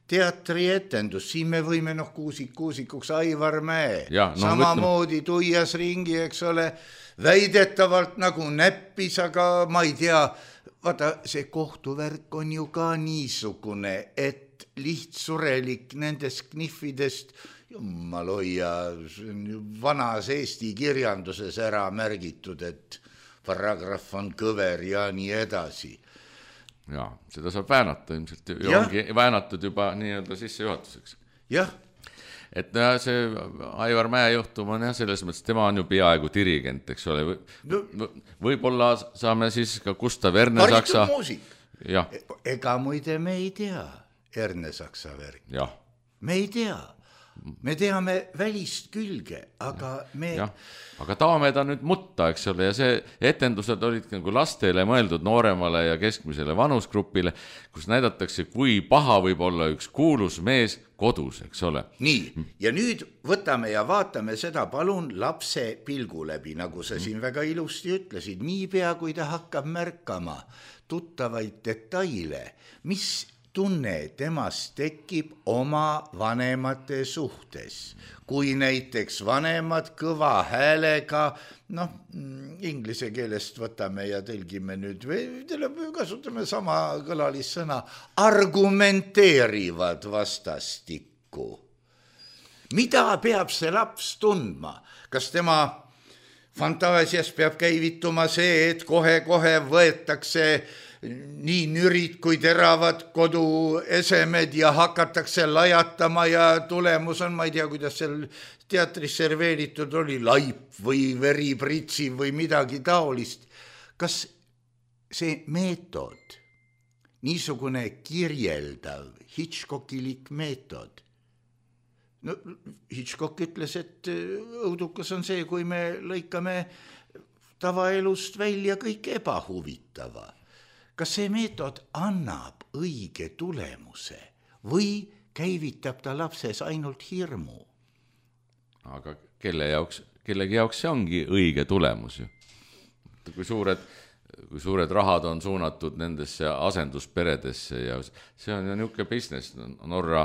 teatrietendus. Siin me võime Kuusikuks Aivar Mäe, samamoodi tuias ringi, eks ole, väidetavalt nagu näppis, aga ma ei tea, vaata, see kohtuvärk on ju ka niisugune, et lihtsurelik nendest knihvidest, jumal hoia, vanas Eesti kirjanduses ära märgitud, et paragrahv on kõver ja nii edasi. Ja, seda saab väänata ilmselt, ongi väänatud juba nii-öelda sissejuhatuseks. Jah. Et see Aivar Mäe juhtum on selles mõttes, tema on ju peaaegu dirigent, eks ole. Võib-olla saame siis ka Gustav Ernesaksa... Haritud muusik. Ega muide me ei tea Ernesaksa värk. Me ei tea. Me teame välist külge, aga me... Aga taame ta nüüd mutta, eks ole, ja see etendused olid nagu lastele mõeldud nooremale ja keskmisele vanusgrupile, kus näidatakse, kui paha võib olla üks kuulus mees kodus, eks ole. Nii, ja nüüd võtame ja vaatame seda palun lapse pilgu läbi, nagu sa siin väga ilusti ütlesid, niipea kui ta hakkab märkama tuttavaid detaile, mis tunne temast tekib oma vanemate suhtes. Kui näiteks vanemad kõva häälega, inglise keelest võtame ja tõlgime nüüd, kasutame sama kõlalissõna, argumenteerivad vastastikku. Mida peab see laps tundma? Kas tema fantaasias peab käivituma see, et kohe võetakse nii nürid kui teravad koduesemed ja hakatakse lajatama ja tulemus on, ma ei tea, kuidas seal teatris serveeritud oli, laip või veripritsi või midagi taolist. Kas see meetod, niisugune kirjeldav Hitchcockilik meetod, no Hitchcock ütles, et õudukas on see, kui me lõikame tavaelust välja kõik ebahuvitava. Kas see meetod annab õige tulemuse või käivitab ta lapses ainult hirmu? Aga kellegi jaoks see ongi õige tulemus ju. Kui suured rahad on suunatud nendesse asendusperedesse ja see on ju niisugune business, Norra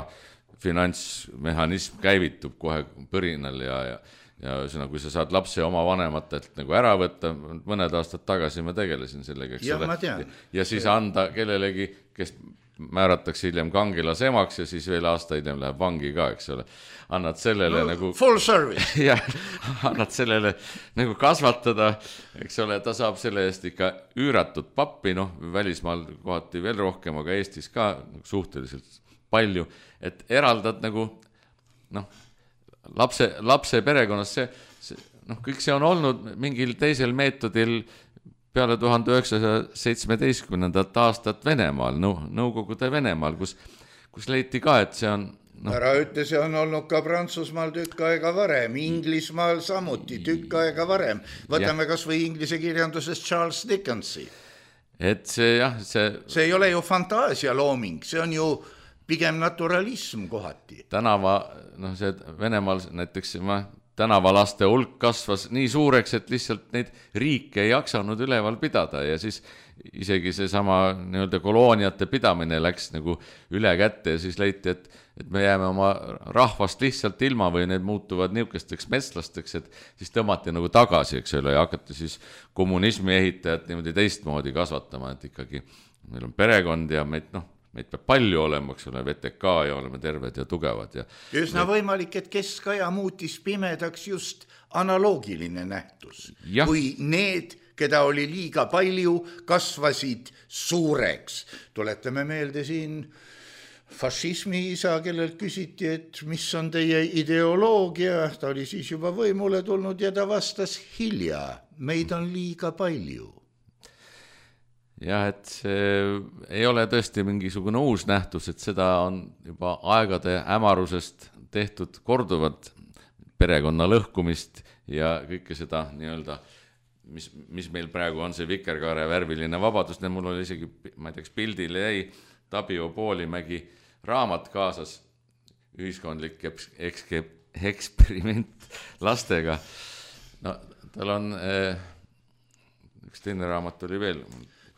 finantsmehhanism käivitub kohe põrinal ja kui sa saad lapse oma vanematelt nagu ära võtta, mõned aastad tagasi ma tegelesin sellega, eks ole, ja siis anda kellelegi, kes määratakse hiljem kangelas emaks ja siis veel aasta hiljem läheb vangi ka, eks ole. Annad sellele nagu full service. Ja annad sellele nagu kasvatada, eks ole, ta saab selle eest ikka üüratud pappi, välismaal kohati veel rohkem, aga Eestis ka suhteliselt palju, et eraldad nagu lapse perekonnas, kõik see on olnud mingil teisel meetodil peale 1917. aastat Venemaal, Nõukogude Venemaal, kus leiti ka, et see on... Ära ütle, see on olnud ka Prantsusmaal tükk aega varem, Inglismaal samuti tükk aega varem. Võtame kas või inglise kirjanduses Charles Dickensi. Et see ei ole ju fantaasia looming, see on ju pigem naturalism kohati. See Venemaal näiteks tänavalaste hulk kasvas nii suureks, et lihtsalt neid riike ei jaksanud üleval pidada ja siis isegi see sama nii-öelda kolooniate pidamine läks nagu üle kätte ja siis leiti, et me jääme oma rahvast lihtsalt ilma või need muutuvad niisugusteks metslasteks, et siis tõmmati nagu tagasi, eks ole, ja hakati siis kommunismi ehitajat niimoodi teistmoodi kasvatama, et ikkagi meil on perekond ja meid peab palju olema, eks ole, VTK ja oleme terved ja tugevad. Üsna võimalik, et keskaja muutis pimedaks just analoogiline nähtus. Kui need, keda oli liiga palju, kasvasid suureks. Tuletame meelde siin fašismi isa, kellelt küsiti, et mis on teie ideoloogia. Ta oli siis juba võimule tulnud ja ta vastas hilja. Meid on liiga palju. Jah, et see ei ole tõesti mingisugune uus nähtus, et seda on juba aegade hämarusest tehtud korduvat perekonna lõhkumist ja kõike seda nii-öelda, mis meil praegu on see vikerkaare värviline vabadus, mul oli isegi, ma ei teaks, pildile jäi Tabio Poolimägi raamat kaasas, ühiskondlik eksperiment lastega. Tal on üks teine raamat oli veel.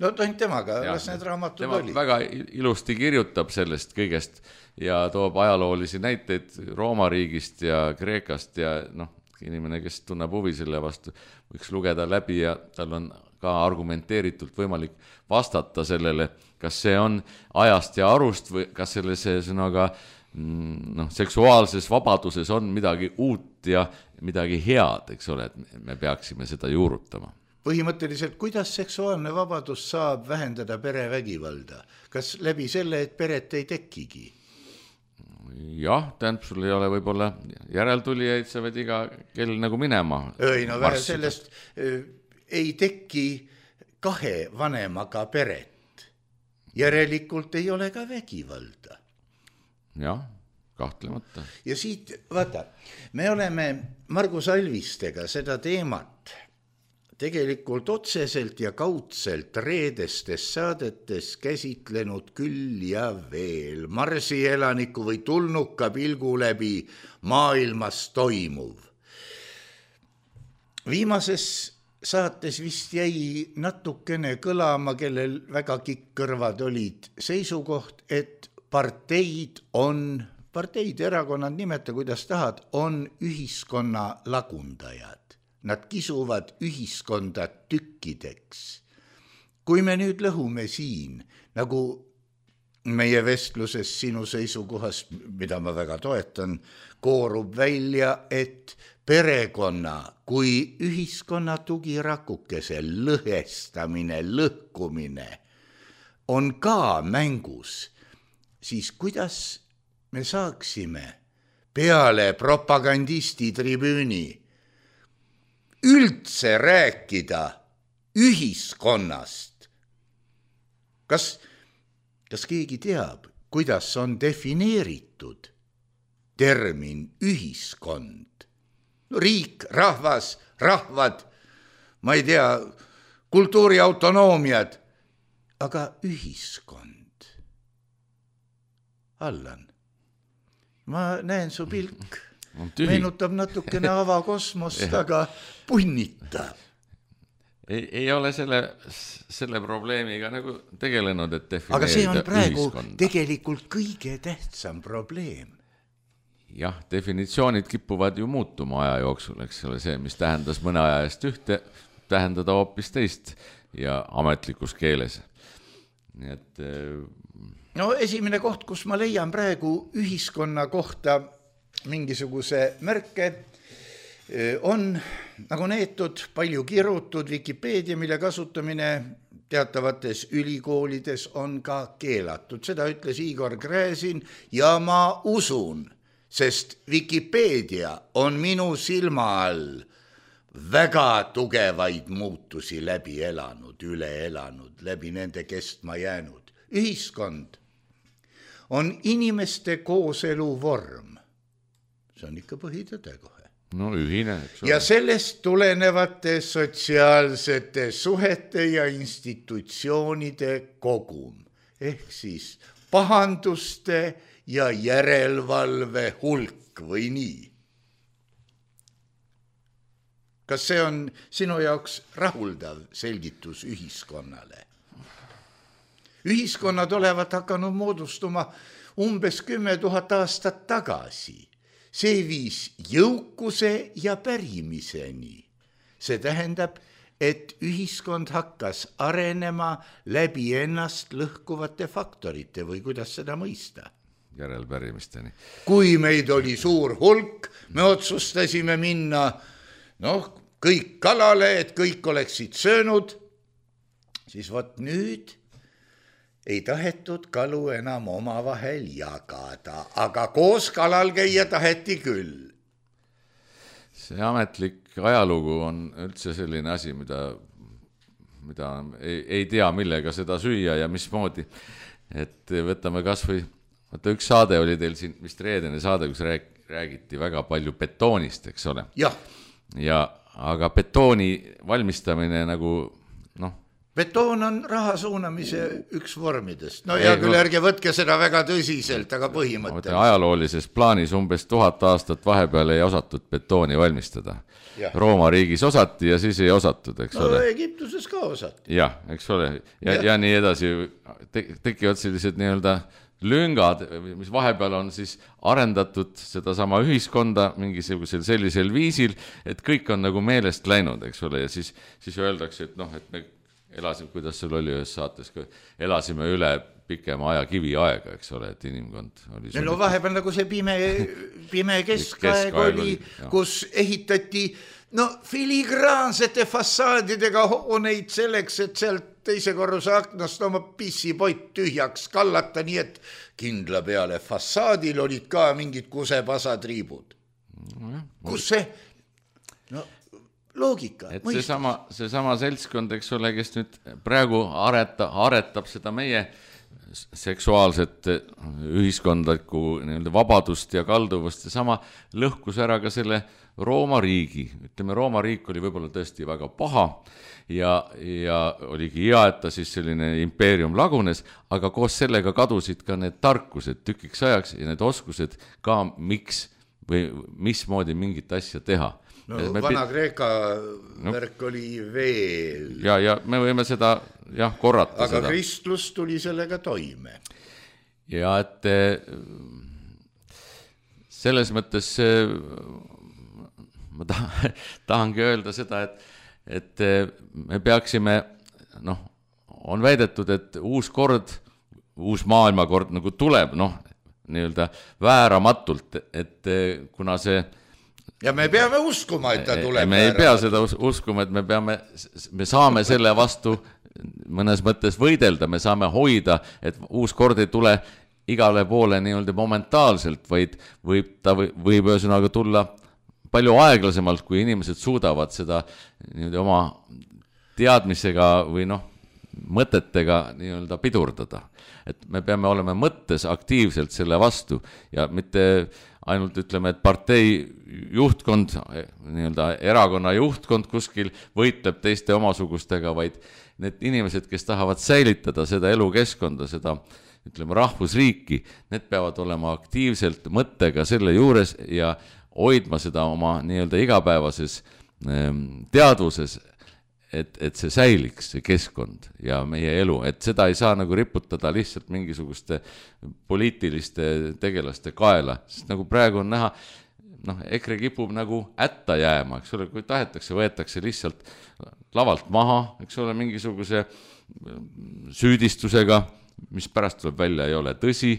No ainult temaga, las need raamatud oli. Väga ilusti kirjutab sellest kõigest ja toob ajaloolisi näiteid Rooma riigist ja Kreekast ja inimene, kes tunneb huvi selle vastu, võiks lugeda läbi ja tal on ka argumenteeritult võimalik vastata sellele, kas see on ajast ja arust või kas selles sõnaga seksuaalses vabaduses on midagi uut ja midagi head, eks ole, et me peaksime seda juurutama. Põhimõtteliselt, kuidas seksuaalne vabadus saab vähendada perevägivalda? Kas läbi selle, et peret ei tekigi? Jah, tähendab, sul ei ole võib-olla järeltulijaid, sa võid iga kell nagu minema. Vähe sellest ei teki 2 vanemaga peret. Järelikult ei ole ka vägivalda. Jah, kahtlemata. Ja siit, vaata, me oleme Margus Alvistega seda teemat tegelikult otseselt ja kaudselt reedestes saadetes käsitlenud küll ja veel Marsi elaniku või tulnuka pilgu läbi maailmas toimuv. Viimases saates vist jäi natukene kõlama, kellel väga kikkõrvad olid seisukoht, et parteid, erakonnad, nimeta kuidas tahad, on ühiskonna lagundajad. Nad kisuvad ühiskonda tükkideks. Kui me nüüd lõhume siin, nagu meie vestluses sinu seisukohast, mida ma väga toetan, koorub välja, et perekonna kui ühiskonna tugirakukese lõhestamine, lõhkumine on ka mängus, siis kuidas me saaksime peale propagandisti tribüüni üldse rääkida ühiskonnast? Kas keegi teab, kuidas on defineeritud termin ühiskond? Riik, rahvas, rahvad, ma ei tea, kultuuriautonoomiad, aga ühiskond. Allan, ma näen su pilk, meenutab natukene avakosmost, aga punnitab. Ei ole selle probleemiga nagu tegelenud, et defineerida aga see on praegu ühiskonda. Tegelikult kõige tähtsam probleem. Jah, definitsioonid kipuvad ju muutuma aja jooksul, eks ole, see, mis tähendas mõne aja eest ühte, tähendada hoopis teist ja ametlikus keeles. Nii et... No esimene koht, kus ma leian praegu ühiskonna kohta mingisuguse märke, on nagu neetud, palju kirutud Wikipeedia, mille kasutamine teatavates ülikoolides on ka keelatud. Seda ütles Igor Gräzin ja ma usun, sest Wikipeedia on minu silma all väga tugevaid muutusi läbi elanud, üle elanud, läbi nende kestma jäänud. Ühiskond on inimeste kooselu vorm. See on ikka põhitõde kohe. No ühine, eks ole. Ja sellest tulenevate sotsiaalsete suhete ja institutsioonide kogum, ehk siis pahanduste ja järelevalve hulk või nii. Kas see on sinu jaoks rahuldav selgitus ühiskonnale? Ühiskonnad olevat hakanud moodustuma umbes 10 000 aastat tagasi. See viis jõukuse ja pärimiseni. See tähendab, et ühiskond hakkas arenema läbi ennast lõhkuvate faktorite või kuidas seda mõista? Järelpärimisteni. Kui meid oli suur hulk, me otsustasime minna kõik kalale, et kõik oleksid söönud, siis vot nüüd ei tahetud kalu enam omavahel jagada, aga koos kalal käia taheti küll. See ametlik ajalugu on üldse selline asi, mida ei tea, millega seda süüa ja mismoodi. Et võtame kas või, üks saade oli teil siin, vist reedene saade, kus räägiti väga palju betoonist, eks ole? Jah. Aga betooni valmistamine nagu, Betoon on raha suunamise üks vormidest. No ja küll ärge võtke seda väga tõsiselt, aga põhimõtteliselt. Ajaloolises plaanis umbes 1000 aastat vahepeal ei osatud betooni valmistada. Rooma riigis osati ja siis ei osatud, eks ole. No Egiptuses ka osati. Jah, eks ole. Ja nii edasi tekivad sellised nii-öelda lüngad, mis vahepeal on siis arendatud seda sama ühiskonda mingisugusel sellisel viisil, et kõik on nagu meelest läinud, eks ole. Ja siis öeldakse, et et me elasime, kuidas sul oli ühes saates, elasime üle pikema aja kiviaega, eks ole, et inimkond oli... No vahepeal nagu see pime keskaeg oli, kus ehitati filigraansete fassaadidega hooneid selleks, et sealt teise korruse aknast oma pissipott tühjaks kallata, nii et kindla peale fassaadil olid ka mingid kusepasatriibud. Kus see... loogika. Et seesama seltskond, eks ole, kes nüüd praegu aretab seda meie seksuaalset ühiskondlikku vabadust ja kalduvust, sama lõhkus ära ka selle Rooma riigi. Ütleme, Rooma riik oli võib-olla tõesti väga paha ja oligi hea, et ta siis selline impeerium lagunes, aga koos sellega kadusid ka need tarkused tükiks ajaks ja need oskused ka miks või mismoodi mingit asja teha. Vana-Kreeka värk oli veel. Ja me võime seda korrata. Aga seda. Kristlus tuli sellega toime. Ja et selles mõttes ma tahangi öelda seda, et me peaksime, on väidetud, et uus maailmakord nagu tuleb, nii-öelda vääramatult, et kuna see ja me peame uskuma, et ta tuleb. Me ei pea seda uskuma, et me saame selle vastu mõnes mõttes võidelda, me saame hoida, et uus kord ei tule igale poole nii-öelda momentaalselt, vaid võib ühesõnaga tulla palju aeglasemalt, kui inimesed suudavad seda nii-öelda oma teadmisega või mõtetega nii-öelda pidurdada. Et me peame olema mõttes aktiivselt selle vastu ja mitte ainult ütleme, et partei juhtkond, nii-öelda erakonna juhtkond kuskil võitleb teiste omasugustega, vaid need inimesed, kes tahavad säilitada seda elukeskkonda, seda ütleme rahvusriiki, need peavad olema aktiivselt mõttega selle juures ja hoidma seda oma nii-öelda igapäevases teadvuses, et see säiliks, see keskkond ja meie elu, et seda ei saa nagu riputada lihtsalt mingisuguste poliitiliste tegelaste kaela, sest nagu praegu on näha, EKRE kipub nagu ätta jääma, eks ole, kui tahetakse, võetakse lihtsalt lavalt maha, eks ole, mingisuguse süüdistusega, mis pärast tuleb välja, ei ole tõsi,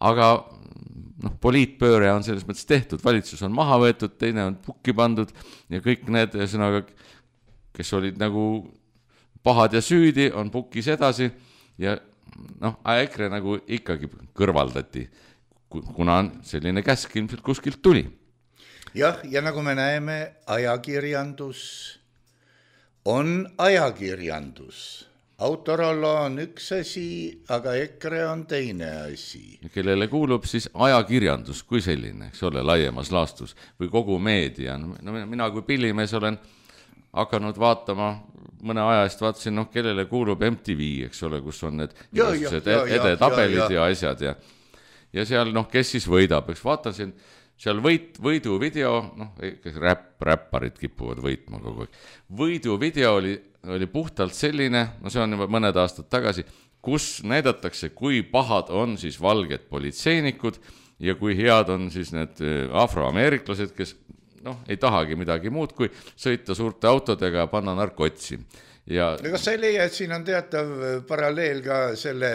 aga poliitpööre on selles mõttes tehtud, valitsus on maha võetud, teine on pukki pandud ja kõik need sõnaga, kes olid nagu pahad ja süüdi, on pukis edasi ja EKRE nagu ikkagi kõrvaldati, kuna selline käsk ilmselt kuskilt tuli. Jah, ja nagu me näeme, ajakirjandus on ajakirjandus. Autorollo on üks asi, aga EKRE on teine asi. Kellele kuulub siis ajakirjandus kui selline, eks ole, laiemas laastus või kogu meedia. Mina kui pillimees olen hakanud vaatama, mõne aja eest vaatasin, kellele kuulub MTV, eks ole, kus on need edetabelid ja asjad ja seal, kes siis võidab, eks vaatasin, seal võidu video, räpparid kipuvad võitma kogu aeg. Võidu video oli puhtalt selline, see on juba mõned aastad tagasi, kus näidatakse, kui pahad on siis valged politseinikud ja kui head on siis need afroameeriklased, kes ei tahagi midagi muud, kui sõita suurte autodega ja panna narkotsi. Kas sa ei leia, et siin on teatav paralleel ka selle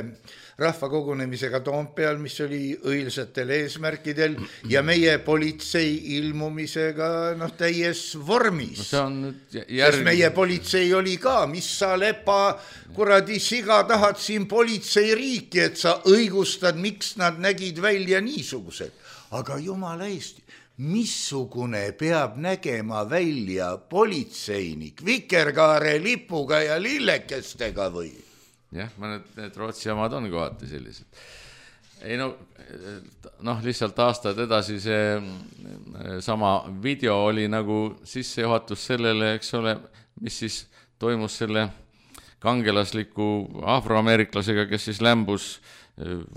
rahvakogunemisega Toompeal, mis oli õilsatel eesmärkidel ja meie politsei ilmumisega täies vormis. Sest meie politsei oli ka, mis sa lepa kuradi siga tahad siin politsei riiki, et sa õigustad, miks nad nägid välja niisugused. Aga jumala Eesti, missugune peab nägema välja politseinik vikerkaare lipuga ja lillekestega või? Jah, need Rootsi omad on kohati sellised. Ei lihtsalt aastad edasi see sama video oli nagu sissejuhatus sellele, eks ole, mis siis toimus selle kangelasliku afroameeriklasega, kes siis lämbus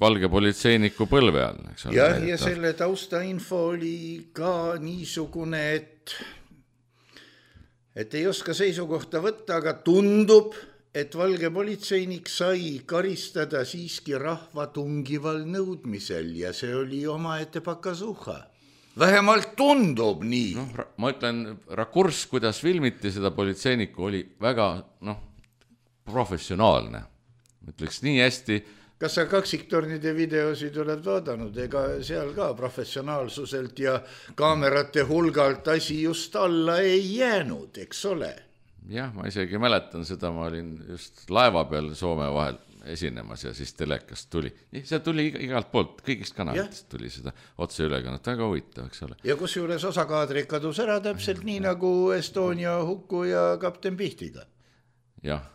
valge politseiniku põlve all. Ja selle taustainfo oli ka niisugune, et ei oska seisukohta võtta, aga tundub, et valge politseinik sai karistada siiski rahva tungival nõudmisel ja see oli omaette pakasuha. Vähemalt tundub nii. Ma ütlen, rakurss, kuidas filmiti seda politseinikku, oli väga professionaalne. Ütleks nii hästi. Kas sa kaksiktornide videosid oled vaadanud? Ega seal ka professionaalsuselt ja kaamerate hulgalt asi just alla ei jäänud, eks ole? Jah, ma isegi mäletan seda, ma olin just laeva peal Soome vahel esinemas ja siis telekast tuli. See tuli igalt poolt, kõigist kanalitest tuli seda otse ülekannet, väga huvitav, eks ole. Ja kus juures osakaadrid kadus ära täpselt nii nagu Estonia hukku ja kapten Pihtiga. Jah.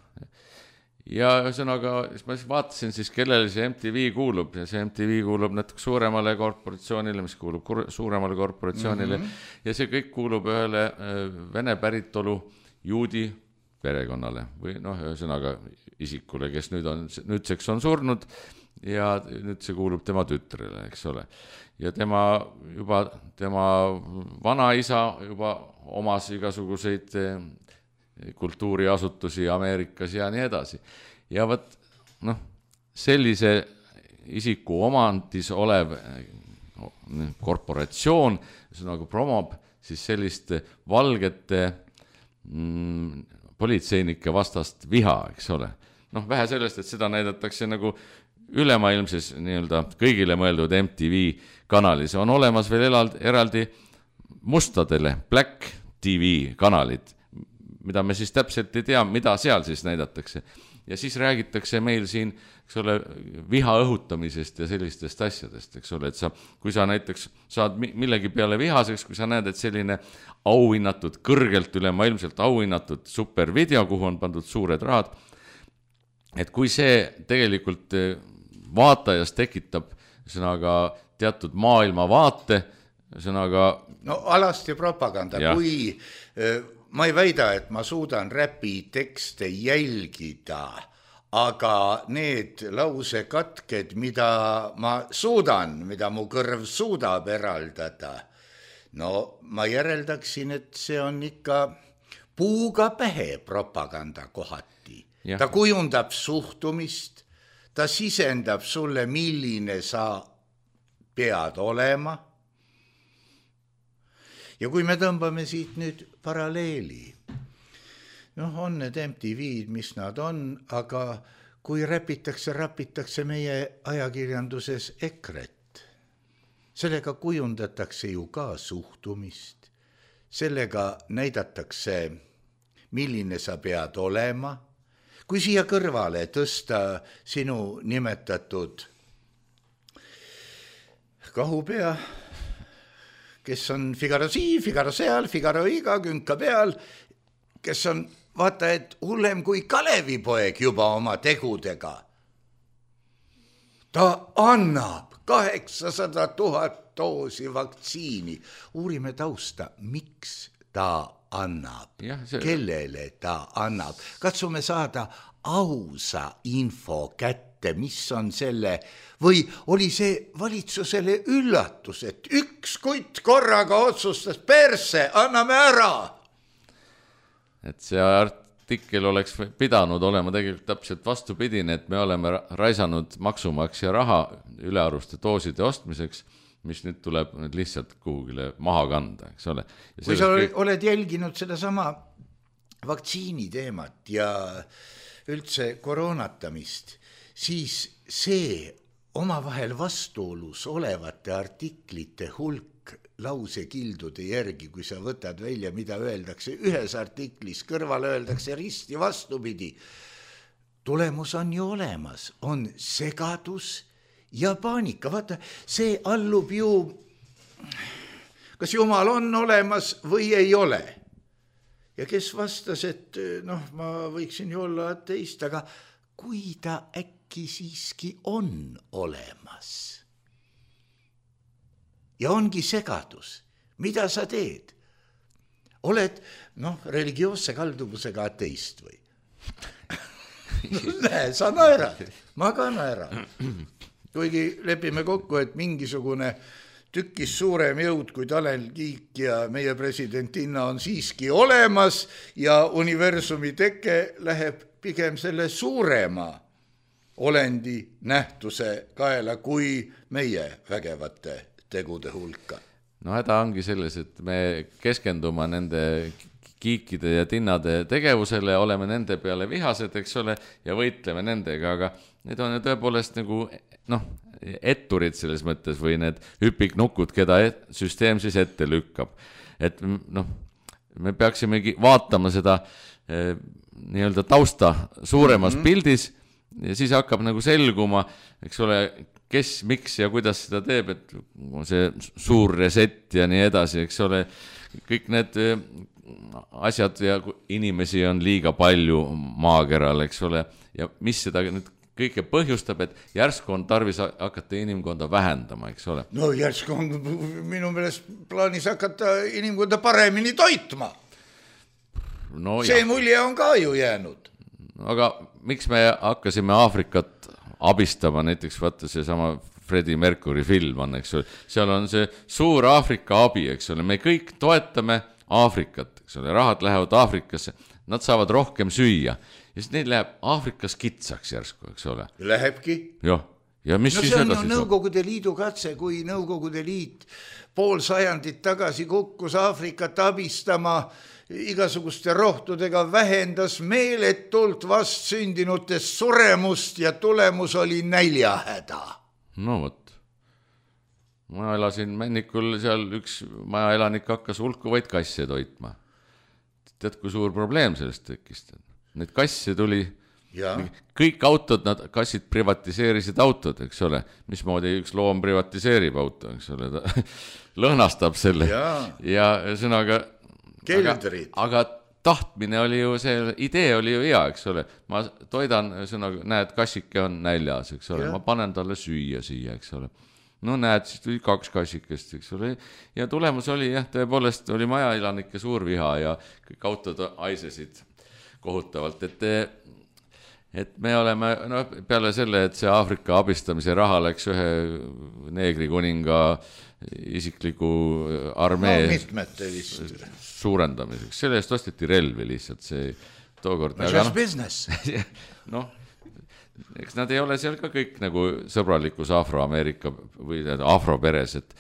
Ja ühesõnaga, ma vaatasin siis, kellele see MTV kuulub ja see MTV kuulub natuke suuremale korporatsioonile, mis kuulub suuremale korporatsioonile ja see kõik kuulub ühele Vene päritolu juudi perekonnale või ühesõnaga isikule, kes nüüdseks on surnud ja nüüd see kuulub tema tütrele, eks ole. Ja tema vanaisa juba omas igasuguseid kultuuriasutusi Ameerikas ja nii edasi. Ja sellise isiku omandis olev korporatsioon promob siis sellist valgete politseinike vastast viha, eks ole. Vähe sellest, et seda näidatakse nagu ülemaailmses nii-öelda kõigile mõeldud MTV kanalis. On olemas veel eraldi mustadele Black TV kanalid, mida me siis täpselt ei tea, mida seal siis näidatakse. ja siis räägitakse meil siin, eks ole, viha õhutamisest ja sellistest asjadest, eks ole, et kui sa näiteks saad millegi peale vihaseks, kui sa näed, et selline auhinnatud, kõrgelt ülemaailmselt auhinnatud supervideo, kuhu on pandud suured rahad, et kui see tegelikult vaatajas tekitab sõnaga teatud maailmavaate, sõnaga... No alasti propaganda, kui ma ei väida, et ma suudan räpi tekste jälgida, aga need lausekatked, mida ma suudan, mida mu kõrv suudab eraldada, no ma järeldaksin, et see on ikka puuga pähe propaganda kohati. Ta kujundab suhtumist, ta sisendab sulle, milline sa pead olema. Ja kui me tõmbame siit nüüd paralleeli, on need MTV-d, mis nad on, aga kui rapitakse meie ajakirjanduses EKRE-t, sellega kujundatakse ju ka suhtumist, sellega näidatakse, milline sa pead olema. Kui siia kõrvale tõsta sinu nimetatud kahupea, kes on Figaro siin, Figaro seal, Figaro iga künka peal, kes on, vaata, et hullem kui Kalevipoeg juba oma tegudega. Ta annab 800 000 doosi vaktsiini. Uurime tausta, miks ta annab, kellele ta annab. Katsume saada ausa info kätte, mis on selle, või oli see valitsusele üllatus, et üks kutt korraga otsustas perse, anname ära. Et see artikkel oleks pidanud olema tegelikult täpselt vastupidine, et me oleme raisanud maksumaksja raha ülearuste dooside ostmiseks, mis nüüd tuleb lihtsalt kuhugile maha kanda, eks ole. Kui sa oled jälginud seda sama vaktsiini teemat ja üldse koroonatamist, siis see omavahel vastuolus olevate artiklite hulk lausekildude järgi, kui sa võtad välja, mida öeldakse ühes artiklis, kõrval öeldakse risti vastupidi. Tulemus on ju olemas, on segadus ja paanika. Vaata, see allub ju, kas Jumal on olemas või ei ole. Ja kes vastas, et ma võiksin ju olla ateist, aga kui ta äkki siiski on olemas ja ongi segadus, mida sa teed? Oled, religioosse kalduvusega ateist või? Näe, sa naerad, ma ka naeran. Kuigi lepime kokku, et mingisugune tükkis suurem jõud kui Tanel Kiik ja meie presidentinna on siiski olemas ja universumi teke läheb pigem selle suurema olendi nähtuse kaela kui meie vägevate tegude hulka. Häda ongi selles, et me keskendume nende kiikide ja tinnade tegevusele, oleme nende peale vihased, eks ole, ja võitleme nendega, aga need on tõepoolest nagu, etturid selles mõttes või need hüpiknukud, keda süsteem siis ette lükkab. Et me peaksimegi vaatama seda nii-öelda tausta suuremas pildis ja siis hakkab nagu selguma, eks ole, kes, miks ja kuidas seda teeb, et see suur reset ja nii edasi, eks ole, kõik need asjad ja inimesi on liiga palju maakeral, eks ole, ja mis seda nüüd kõike põhjustab, et järsku on tarvis hakata inimkonda vähendama, eks ole. No järsku on minu meelest plaanis hakata inimkonda paremini toitma. See mulje on ka ju jäänud. Aga miks me hakkasime Aafrikat abistama, näiteks vaata see sama Freddie Mercury film on, eks ole, seal on see suur Aafrika abi, eks ole, me kõik toetame Aafrikat, eks ole, rahad lähevad Aafrikasse, nad saavad rohkem süüa ja siis neil läheb Aafrikas kitsaks järsku, eks ole. Lähebki. Ja mis siis edasi saab? Nõukogude Liidu katse, kui Nõukogude Liit pool sajandit tagasi kukkus Aafrikat abistama igasuguste rohtudega, vähendas meeletult vastsündinutest suremust ja tulemus oli näljahäda. No vot. Ma elasin Männikul, seal üks majaelanik hakkas hulkuvaid kasse toitma. Tead, kui suur probleem sellest tekkis? Neid kasse tuli kõik autod, nad kassid privatiseerisid autod, eks ole, mismoodi üks loom privatiseerib auto, eks ole, ta lõhnastab selle ja sõnaga aga tahtmine oli ju, see idee oli ju hea, eks ole, ma toidan, sõnaga, näed, kassike on näljas, eks ole, ma panen talle süüa siia, eks ole, no näed, siis tuli 2 kassikest, eks ole, ja tulemus oli jah, tõepoolest oli majaelanike suur viha ja kõik autod aisesid kohutavalt, et me oleme, no peale selle, et see Aafrika abistamise raha läks ühe neegri kuninga isikliku armee suurendamiseks, selle eest osteti relvi lihtsalt, see tookord just business. noh, eks nad ei ole seal ka kõik nagu sõbralikus Afro-Ameerika või afroperes, et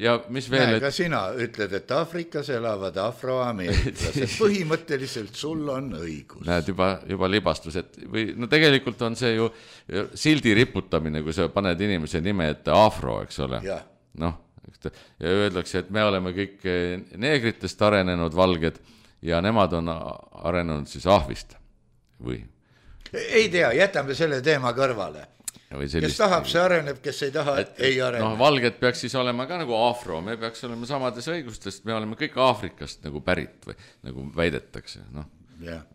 ja mis veel, ka sina ütled, et Aafrikas elavad afroameeriklased, põhimõtteliselt sul on õigus. Näed, juba libastused või no tegelikult on see ju sildi riputamine, kui sa paned inimese nime ette afro, eks ole, noh, ja öeldakse, et me oleme kõik neegritest arenenud valged ja nemad on arenenud siis ahvist või? Ei tea, jätame selle teema kõrvale. Kes tahab, see areneb, kes ei taha, ei arene. Noh, valged peaks siis olema ka nagu afro, me peaks olema samades õigustest, me oleme kõik Aafrikast nagu pärit või nagu väidetakse, noh.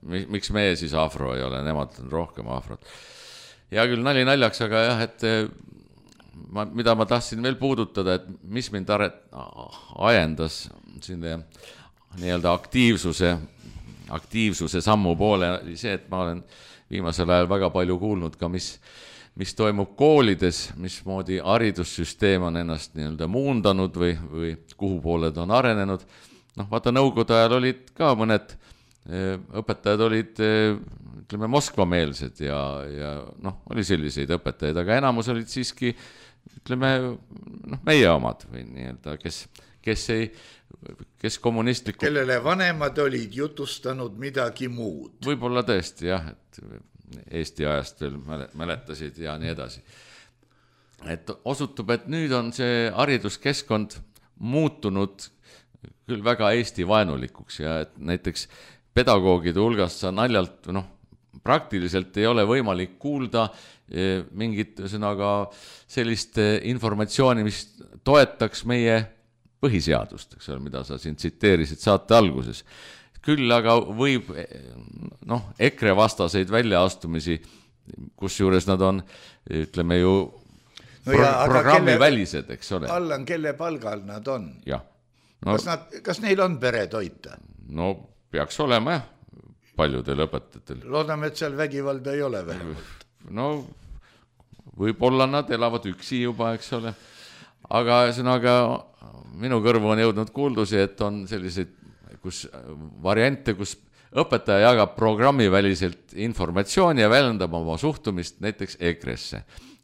Miks me siis afro ei ole, nemad on rohkem afrod. Ja küll nali naljaks, aga jah, et mida ma tahtsin veel puudutada, et mis mind ajendas sinne nii-öelda aktiivsuse sammu poole, oli see, et ma olen viimasel ajal väga palju kuulnud ka, mis toimub koolides, mismoodi haridussüsteem on ennast nii-öelda muundanud või kuhu pooled on arenenud. Noh, vaata, nõukogude ajal olid ka mõned õpetajad olid, ütleme, Moskva-meelsed ja noh, oli selliseid õpetajaid, aga enamus olid siiski, ütleme, noh, meie omad või nii-öelda, kes kommunistlikud. Kellele vanemad olid jutustanud midagi muud. Võib-olla tõesti, jah, et Eesti ajast veel mäletasid ja nii edasi. Et osutub, et nüüd on see hariduskeskkond muutunud küll väga Eesti vaenulikuks ja et näiteks pedagoogide hulgast sa naljalt, noh, praktiliselt ei ole võimalik kuulda mingit sõnaga sellist informatsiooni, mis toetaks meie põhiseadust, eks ole, mida sa siin tsiteerisid saate alguses. Küll aga võib, noh, EKRE vastaseid väljaastumisi, kus juures nad on, ütleme ju, programmi välised, eks ole. Allan, kelle palgal nad on? Jah. No, kas neil on pere toita? No peaks olema, jah, paljudel õpetajatel. Loodame, et seal vägivalda ei ole vähemalt. No võib-olla nad elavad üksi juba, eks ole. Aga sõnaga, minu kõrvu on jõudnud kuuldusi, et on selliseid variante, kus õpetaja jagab programmiväliselt informatsiooni ja väljendab oma suhtumist näiteks EKRE-sse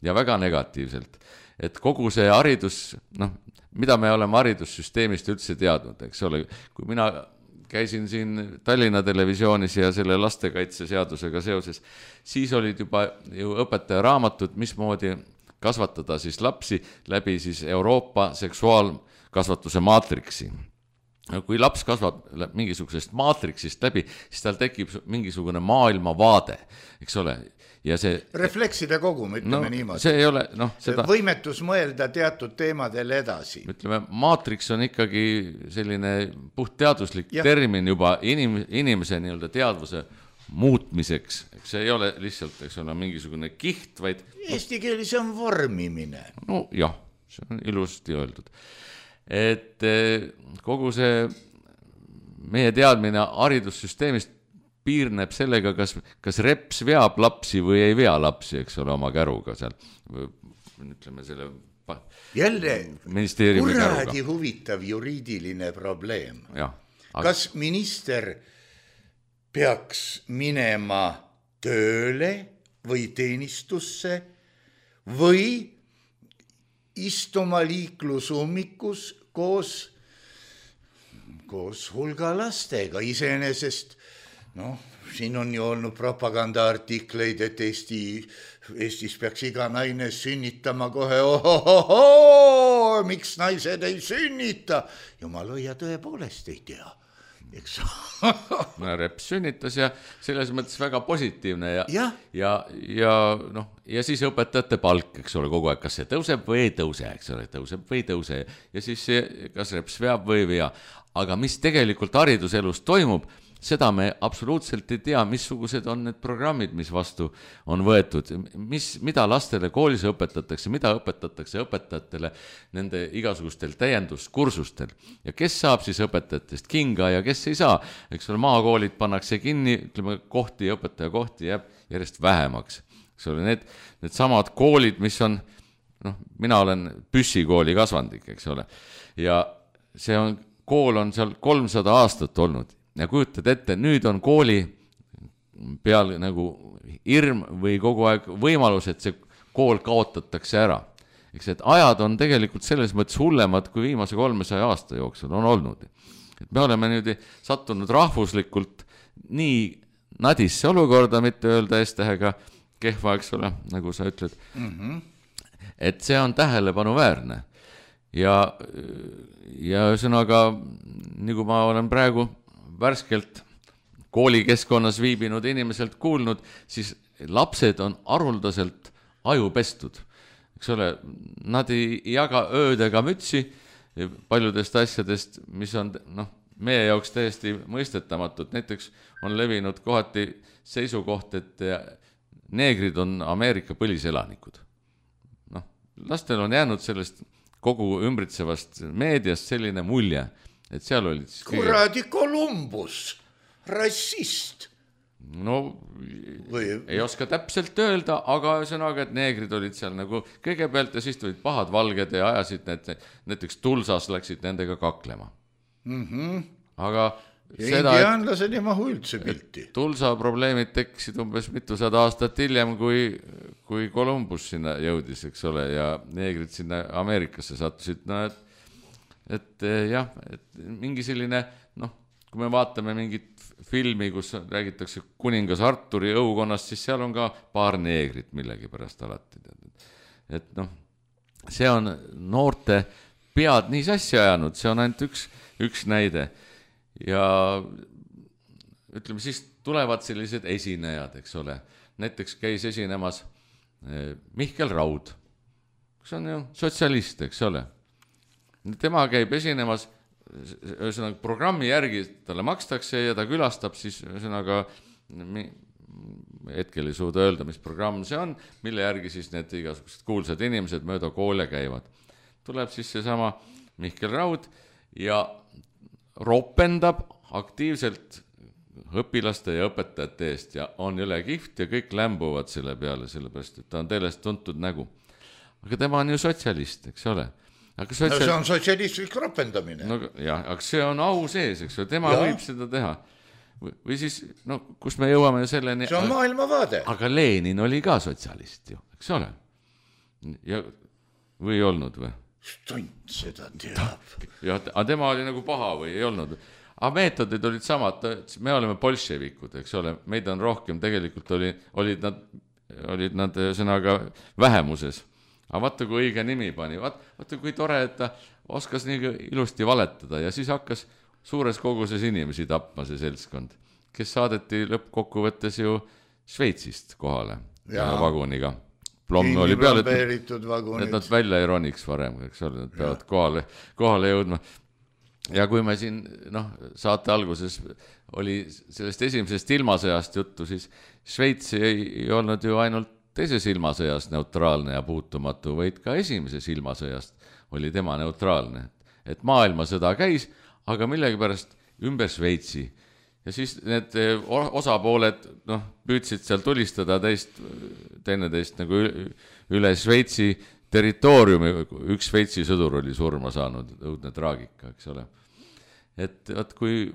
ja väga negatiivselt. Et kogu see haridus, noh, mida me oleme haridussüsteemist üldse teadnud, eks ole, kui mina käisin siin Tallinna televisioonis ja selle lastekaitseseadusega seoses, siis olid juba ju õpetaja raamatud, mismoodi kasvatada siis lapsi läbi siis Euroopa seksuaalkasvatuse maatriksi. Kui laps kasvab mingisugusest maatriksist läbi, siis tal tekib mingisugune maailmavaade, eks ole. Ja see, reflekside kogum, ütleme niimoodi. See ei ole, noh, seda võimetus mõelda teatud teemadel edasi. Ütleme, maatriks on ikkagi selline puhtteaduslik termin juba inimese nii-öelda teadvuse muutmiseks. See ei ole lihtsalt, eks ole, mingisugune kiht, vaid eesti keelis on vormimine. No jah, see on ilusti öeldud. Et kogu see meie teadmine haridussüsteemist piirneb sellega, kas reps veab lapsi või ei vea lapsi, eks ole, oma käruga seal, ütleme selle jälle ministeeriumi käruga. Kuradi huvitav juriidiline probleem. Ja, kas minister peaks minema tööle või teenistusse või istuma liiklusummikus koos hulga lastega iseenesest. Noh, siin on ju olnud propagandaartikleid, et Eestis peaks iga naine sünnitama kohe, miks naised ei sünnita? Jumal hoia, tõepoolest ei tea. eks no Reps sünnitas ja selles mõttes väga positiivne Jah. ja siis õpetajate palk, eks ole, kogu aeg, kas see tõuseb või ei tõuse, eks ole, tõuseb või ei tõuse ja siis kas Reps veab või ei vea. Aga mis tegelikult hariduselus toimub, seda me absoluutselt ei tea, missugused on need programmid, mis vastu on võetud, mida lastele koolis õpetatakse, mida õpetatakse õpetajatele nende igasugustel täienduskursustel ja kes saab siis õpetajatest kinga ja kes ei saa. Eks ole, maakoolid pannakse kinni, ütleme, õpetajakohti jääb järjest vähemaks. Eks ole, need samad koolid, mis on, mina olen Püssikooli kasvandik, eks ole, ja kool on seal 300 aastat olnud. Ja kujutad ette, nüüd on kooli peal nagu hirm või kogu aeg võimalus, et see kool kaotatakse ära. Eks et ajad on tegelikult selles mõttes hullemad, kui viimase 300 aasta jooksul on olnud. Et me oleme nüüd sattunud rahvuslikult nii nadisse olukorda, mitte öelda S-tähega kehva, eks ole, nagu sa ütled. Et see on tähelepanuväärne. Ja ühesõnaga, nagu ma olen praegu värskelt koolikeskkonnas viibinud inimeselt kuulnud, siis lapsed on haruldaselt ajupestud. Eks ole, nad ei jaga ööd ega mütsi paljudest asjadest, mis on meie jaoks täiesti mõistetamatud. Näiteks on levinud kohati seisukoht, et neegrid on Ameerika põliselanikud. Lastel on jäänud sellest kogu ümbritsevast meediast selline mulje, et seal olid siis kuradi Columbus, rassist. Ei oska täpselt öelda, aga ühesõnaga, et neegrid olid seal nagu kõigepealt ja siis tulid pahad valged ja ajasid näiteks Tulsas läksid nendega kaklema. Aga indiaanlased ei mahu üldse pilti. Tulsa probleemid tekkisid umbes mitusada aastat hiljem, kui Columbus sinna jõudis, eks ole, ja neegrid sinna Ameerikasse sattusid. Et mingi selline, kui me vaatame mingit filmi, kus räägitakse kuningas Arturi õukonnast, siis seal on ka paar neegrit millegi pärast alati. Et see on noorte pead nii sassi ajanud, see on ainult üks näide. Ja ütleme, siis tulevad sellised esinejad, eks ole. Näiteks käis esinemas Mihkel Raud, kes on ju sotsialist, eks ole. Tema käib esinemas, ühesõnaga programmi järgi talle makstakse ja ta külastab siis, ühesõnaga hetkel ei suuda öelda, mis programm see on, mille järgi siis need igasugused kuulsad inimesed mööda koole käivad. Tuleb siis seesama Mihkel Raud ja ropendab aktiivselt õpilaste ja õpetajate eest ja on jõle kihvt ja kõik lämbuvad selle peale, sellepärast, et ta on teelest tuntud nägu. Aga tema on ju sotsialist, eks ole. See on sotsialistlik ropendamine. Aga see on au sees, eks ole, tema võib seda teha. Või siis, kus me jõuame selleni... See on maailmavaade. Aga Lenin oli ka sotsialist ju, eks ole. Või ei olnud või? Stunt seda teab. Aga tema oli nagu paha või ei olnud. Aga meetodid olid samad, me oleme bolševikud, eks ole, meid on rohkem, tegelikult olid nad sõnaga vähemuses. Aga vaata, kui õige nimi pani, vaata, kui tore, et ta oskas nii ilusti valetada ja siis hakkas suures koguses inimesi tapma see seltskond, kes saadeti lõppkokkuvõttes ju Šveitsist kohale vaguniga. Plomm oli peal, et nad välja ei roniks varem, eks ole, nad peavad kohale jõudma. Ja kui me siin, saate alguses oli sellest esimesest ilmasõjast juttu, siis Šveits ei olnud ju ainult teises ilmasõjas neutraalne ja puutumatu, vaid ka esimeses ilmasõjast oli tema neutraalne. Et maailmasõda käis, aga millegipärast ümber Šveitsi. Ja siis need osapooled püüdsid seal tulistada teineteist nagu üle Šveitsi territooriumi. Üks Šveitsi sõdur oli surma saanud, õudne traagika, eks ole. Et kui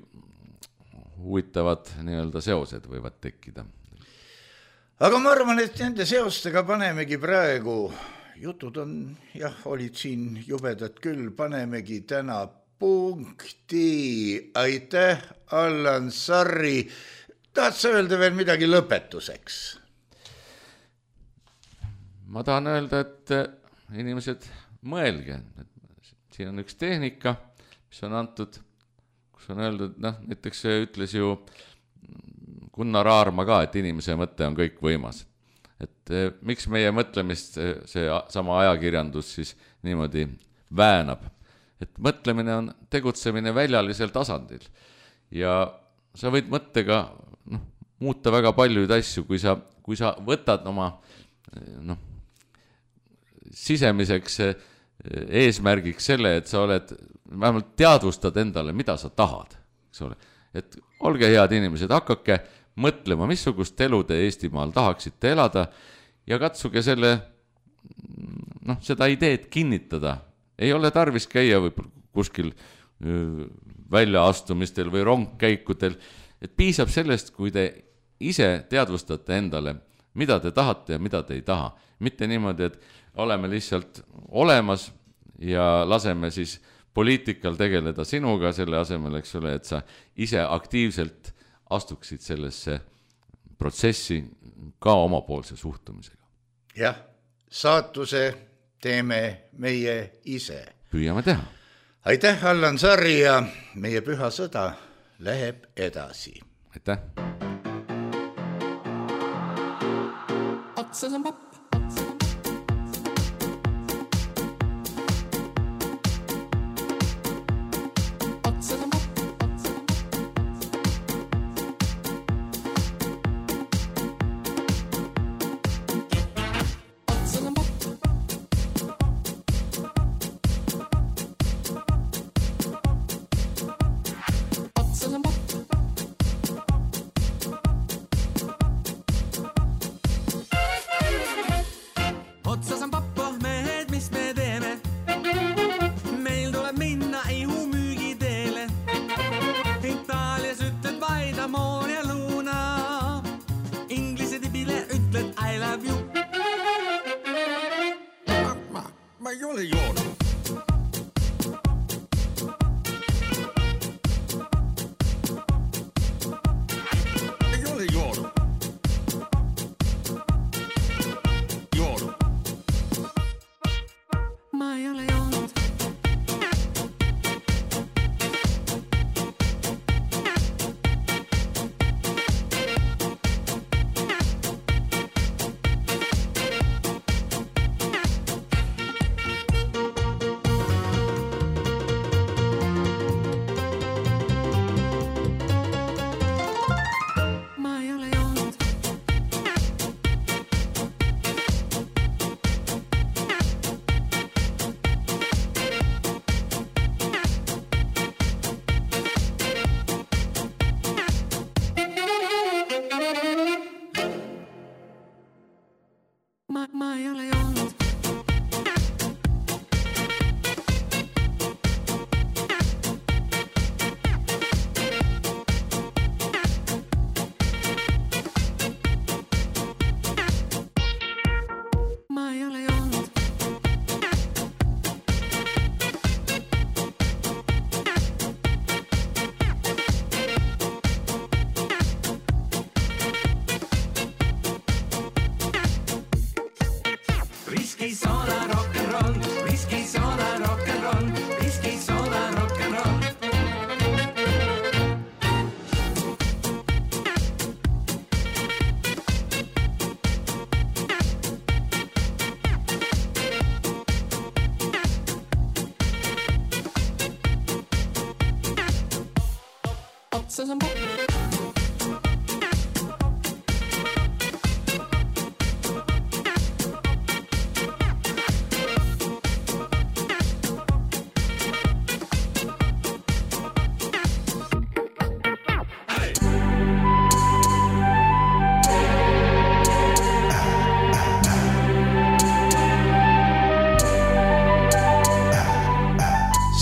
huvitavad nii-öelda seosed võivad tekkida. Aga ma arvan, et nende seostega panemegi praegu, jutud on, olid siin jubedad küll, panemegi täna punkti. Aitäh, Allan Sarri. Tahad sa öelda veel midagi lõpetuseks? Ma tahan öelda, et inimesed mõelge. Siin on üks tehnika, mis on antud, kus on öeldud, näiteks ütles ju Gunnar Aarma ka, et inimese mõte on kõik võimas. Et miks meie mõtlemist see sama ajakirjandus siis niimoodi väänab? Et mõtlemine on tegutsemine väljalisel tasandil ja sa võid mõttega muuta väga paljuid asju, kui sa võtad oma sisemiseks eesmärgiks selle, et sa oled, vähemalt teadvustad endale, mida sa tahad, eks ole. Et olge head inimesed, hakake mõtlema, missugust elu te Eestimaal tahaksite elada ja katsuge seda ideed kinnitada. Ei ole tarvis käia võib-olla kuskil väljaastumistel või rongkäikudel, et piisab sellest, kui te ise teadvustate endale, mida te tahate ja mida te ei taha. Mitte niimoodi, et oleme lihtsalt olemas ja laseme siis poliitikal tegeleda sinuga selle asemel, eks ole, et sa ise aktiivselt astuksid sellesse protsessi ka omapoolse suhtumisega. Jah, saatuse teeme meie ise. Püüame teha. Aitäh, Allan Sarri, ja meie püha sõda läheb edasi. Aitäh. Otsas on papp.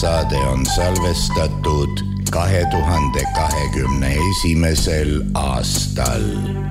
Saade on salvestatud 2021. aastal.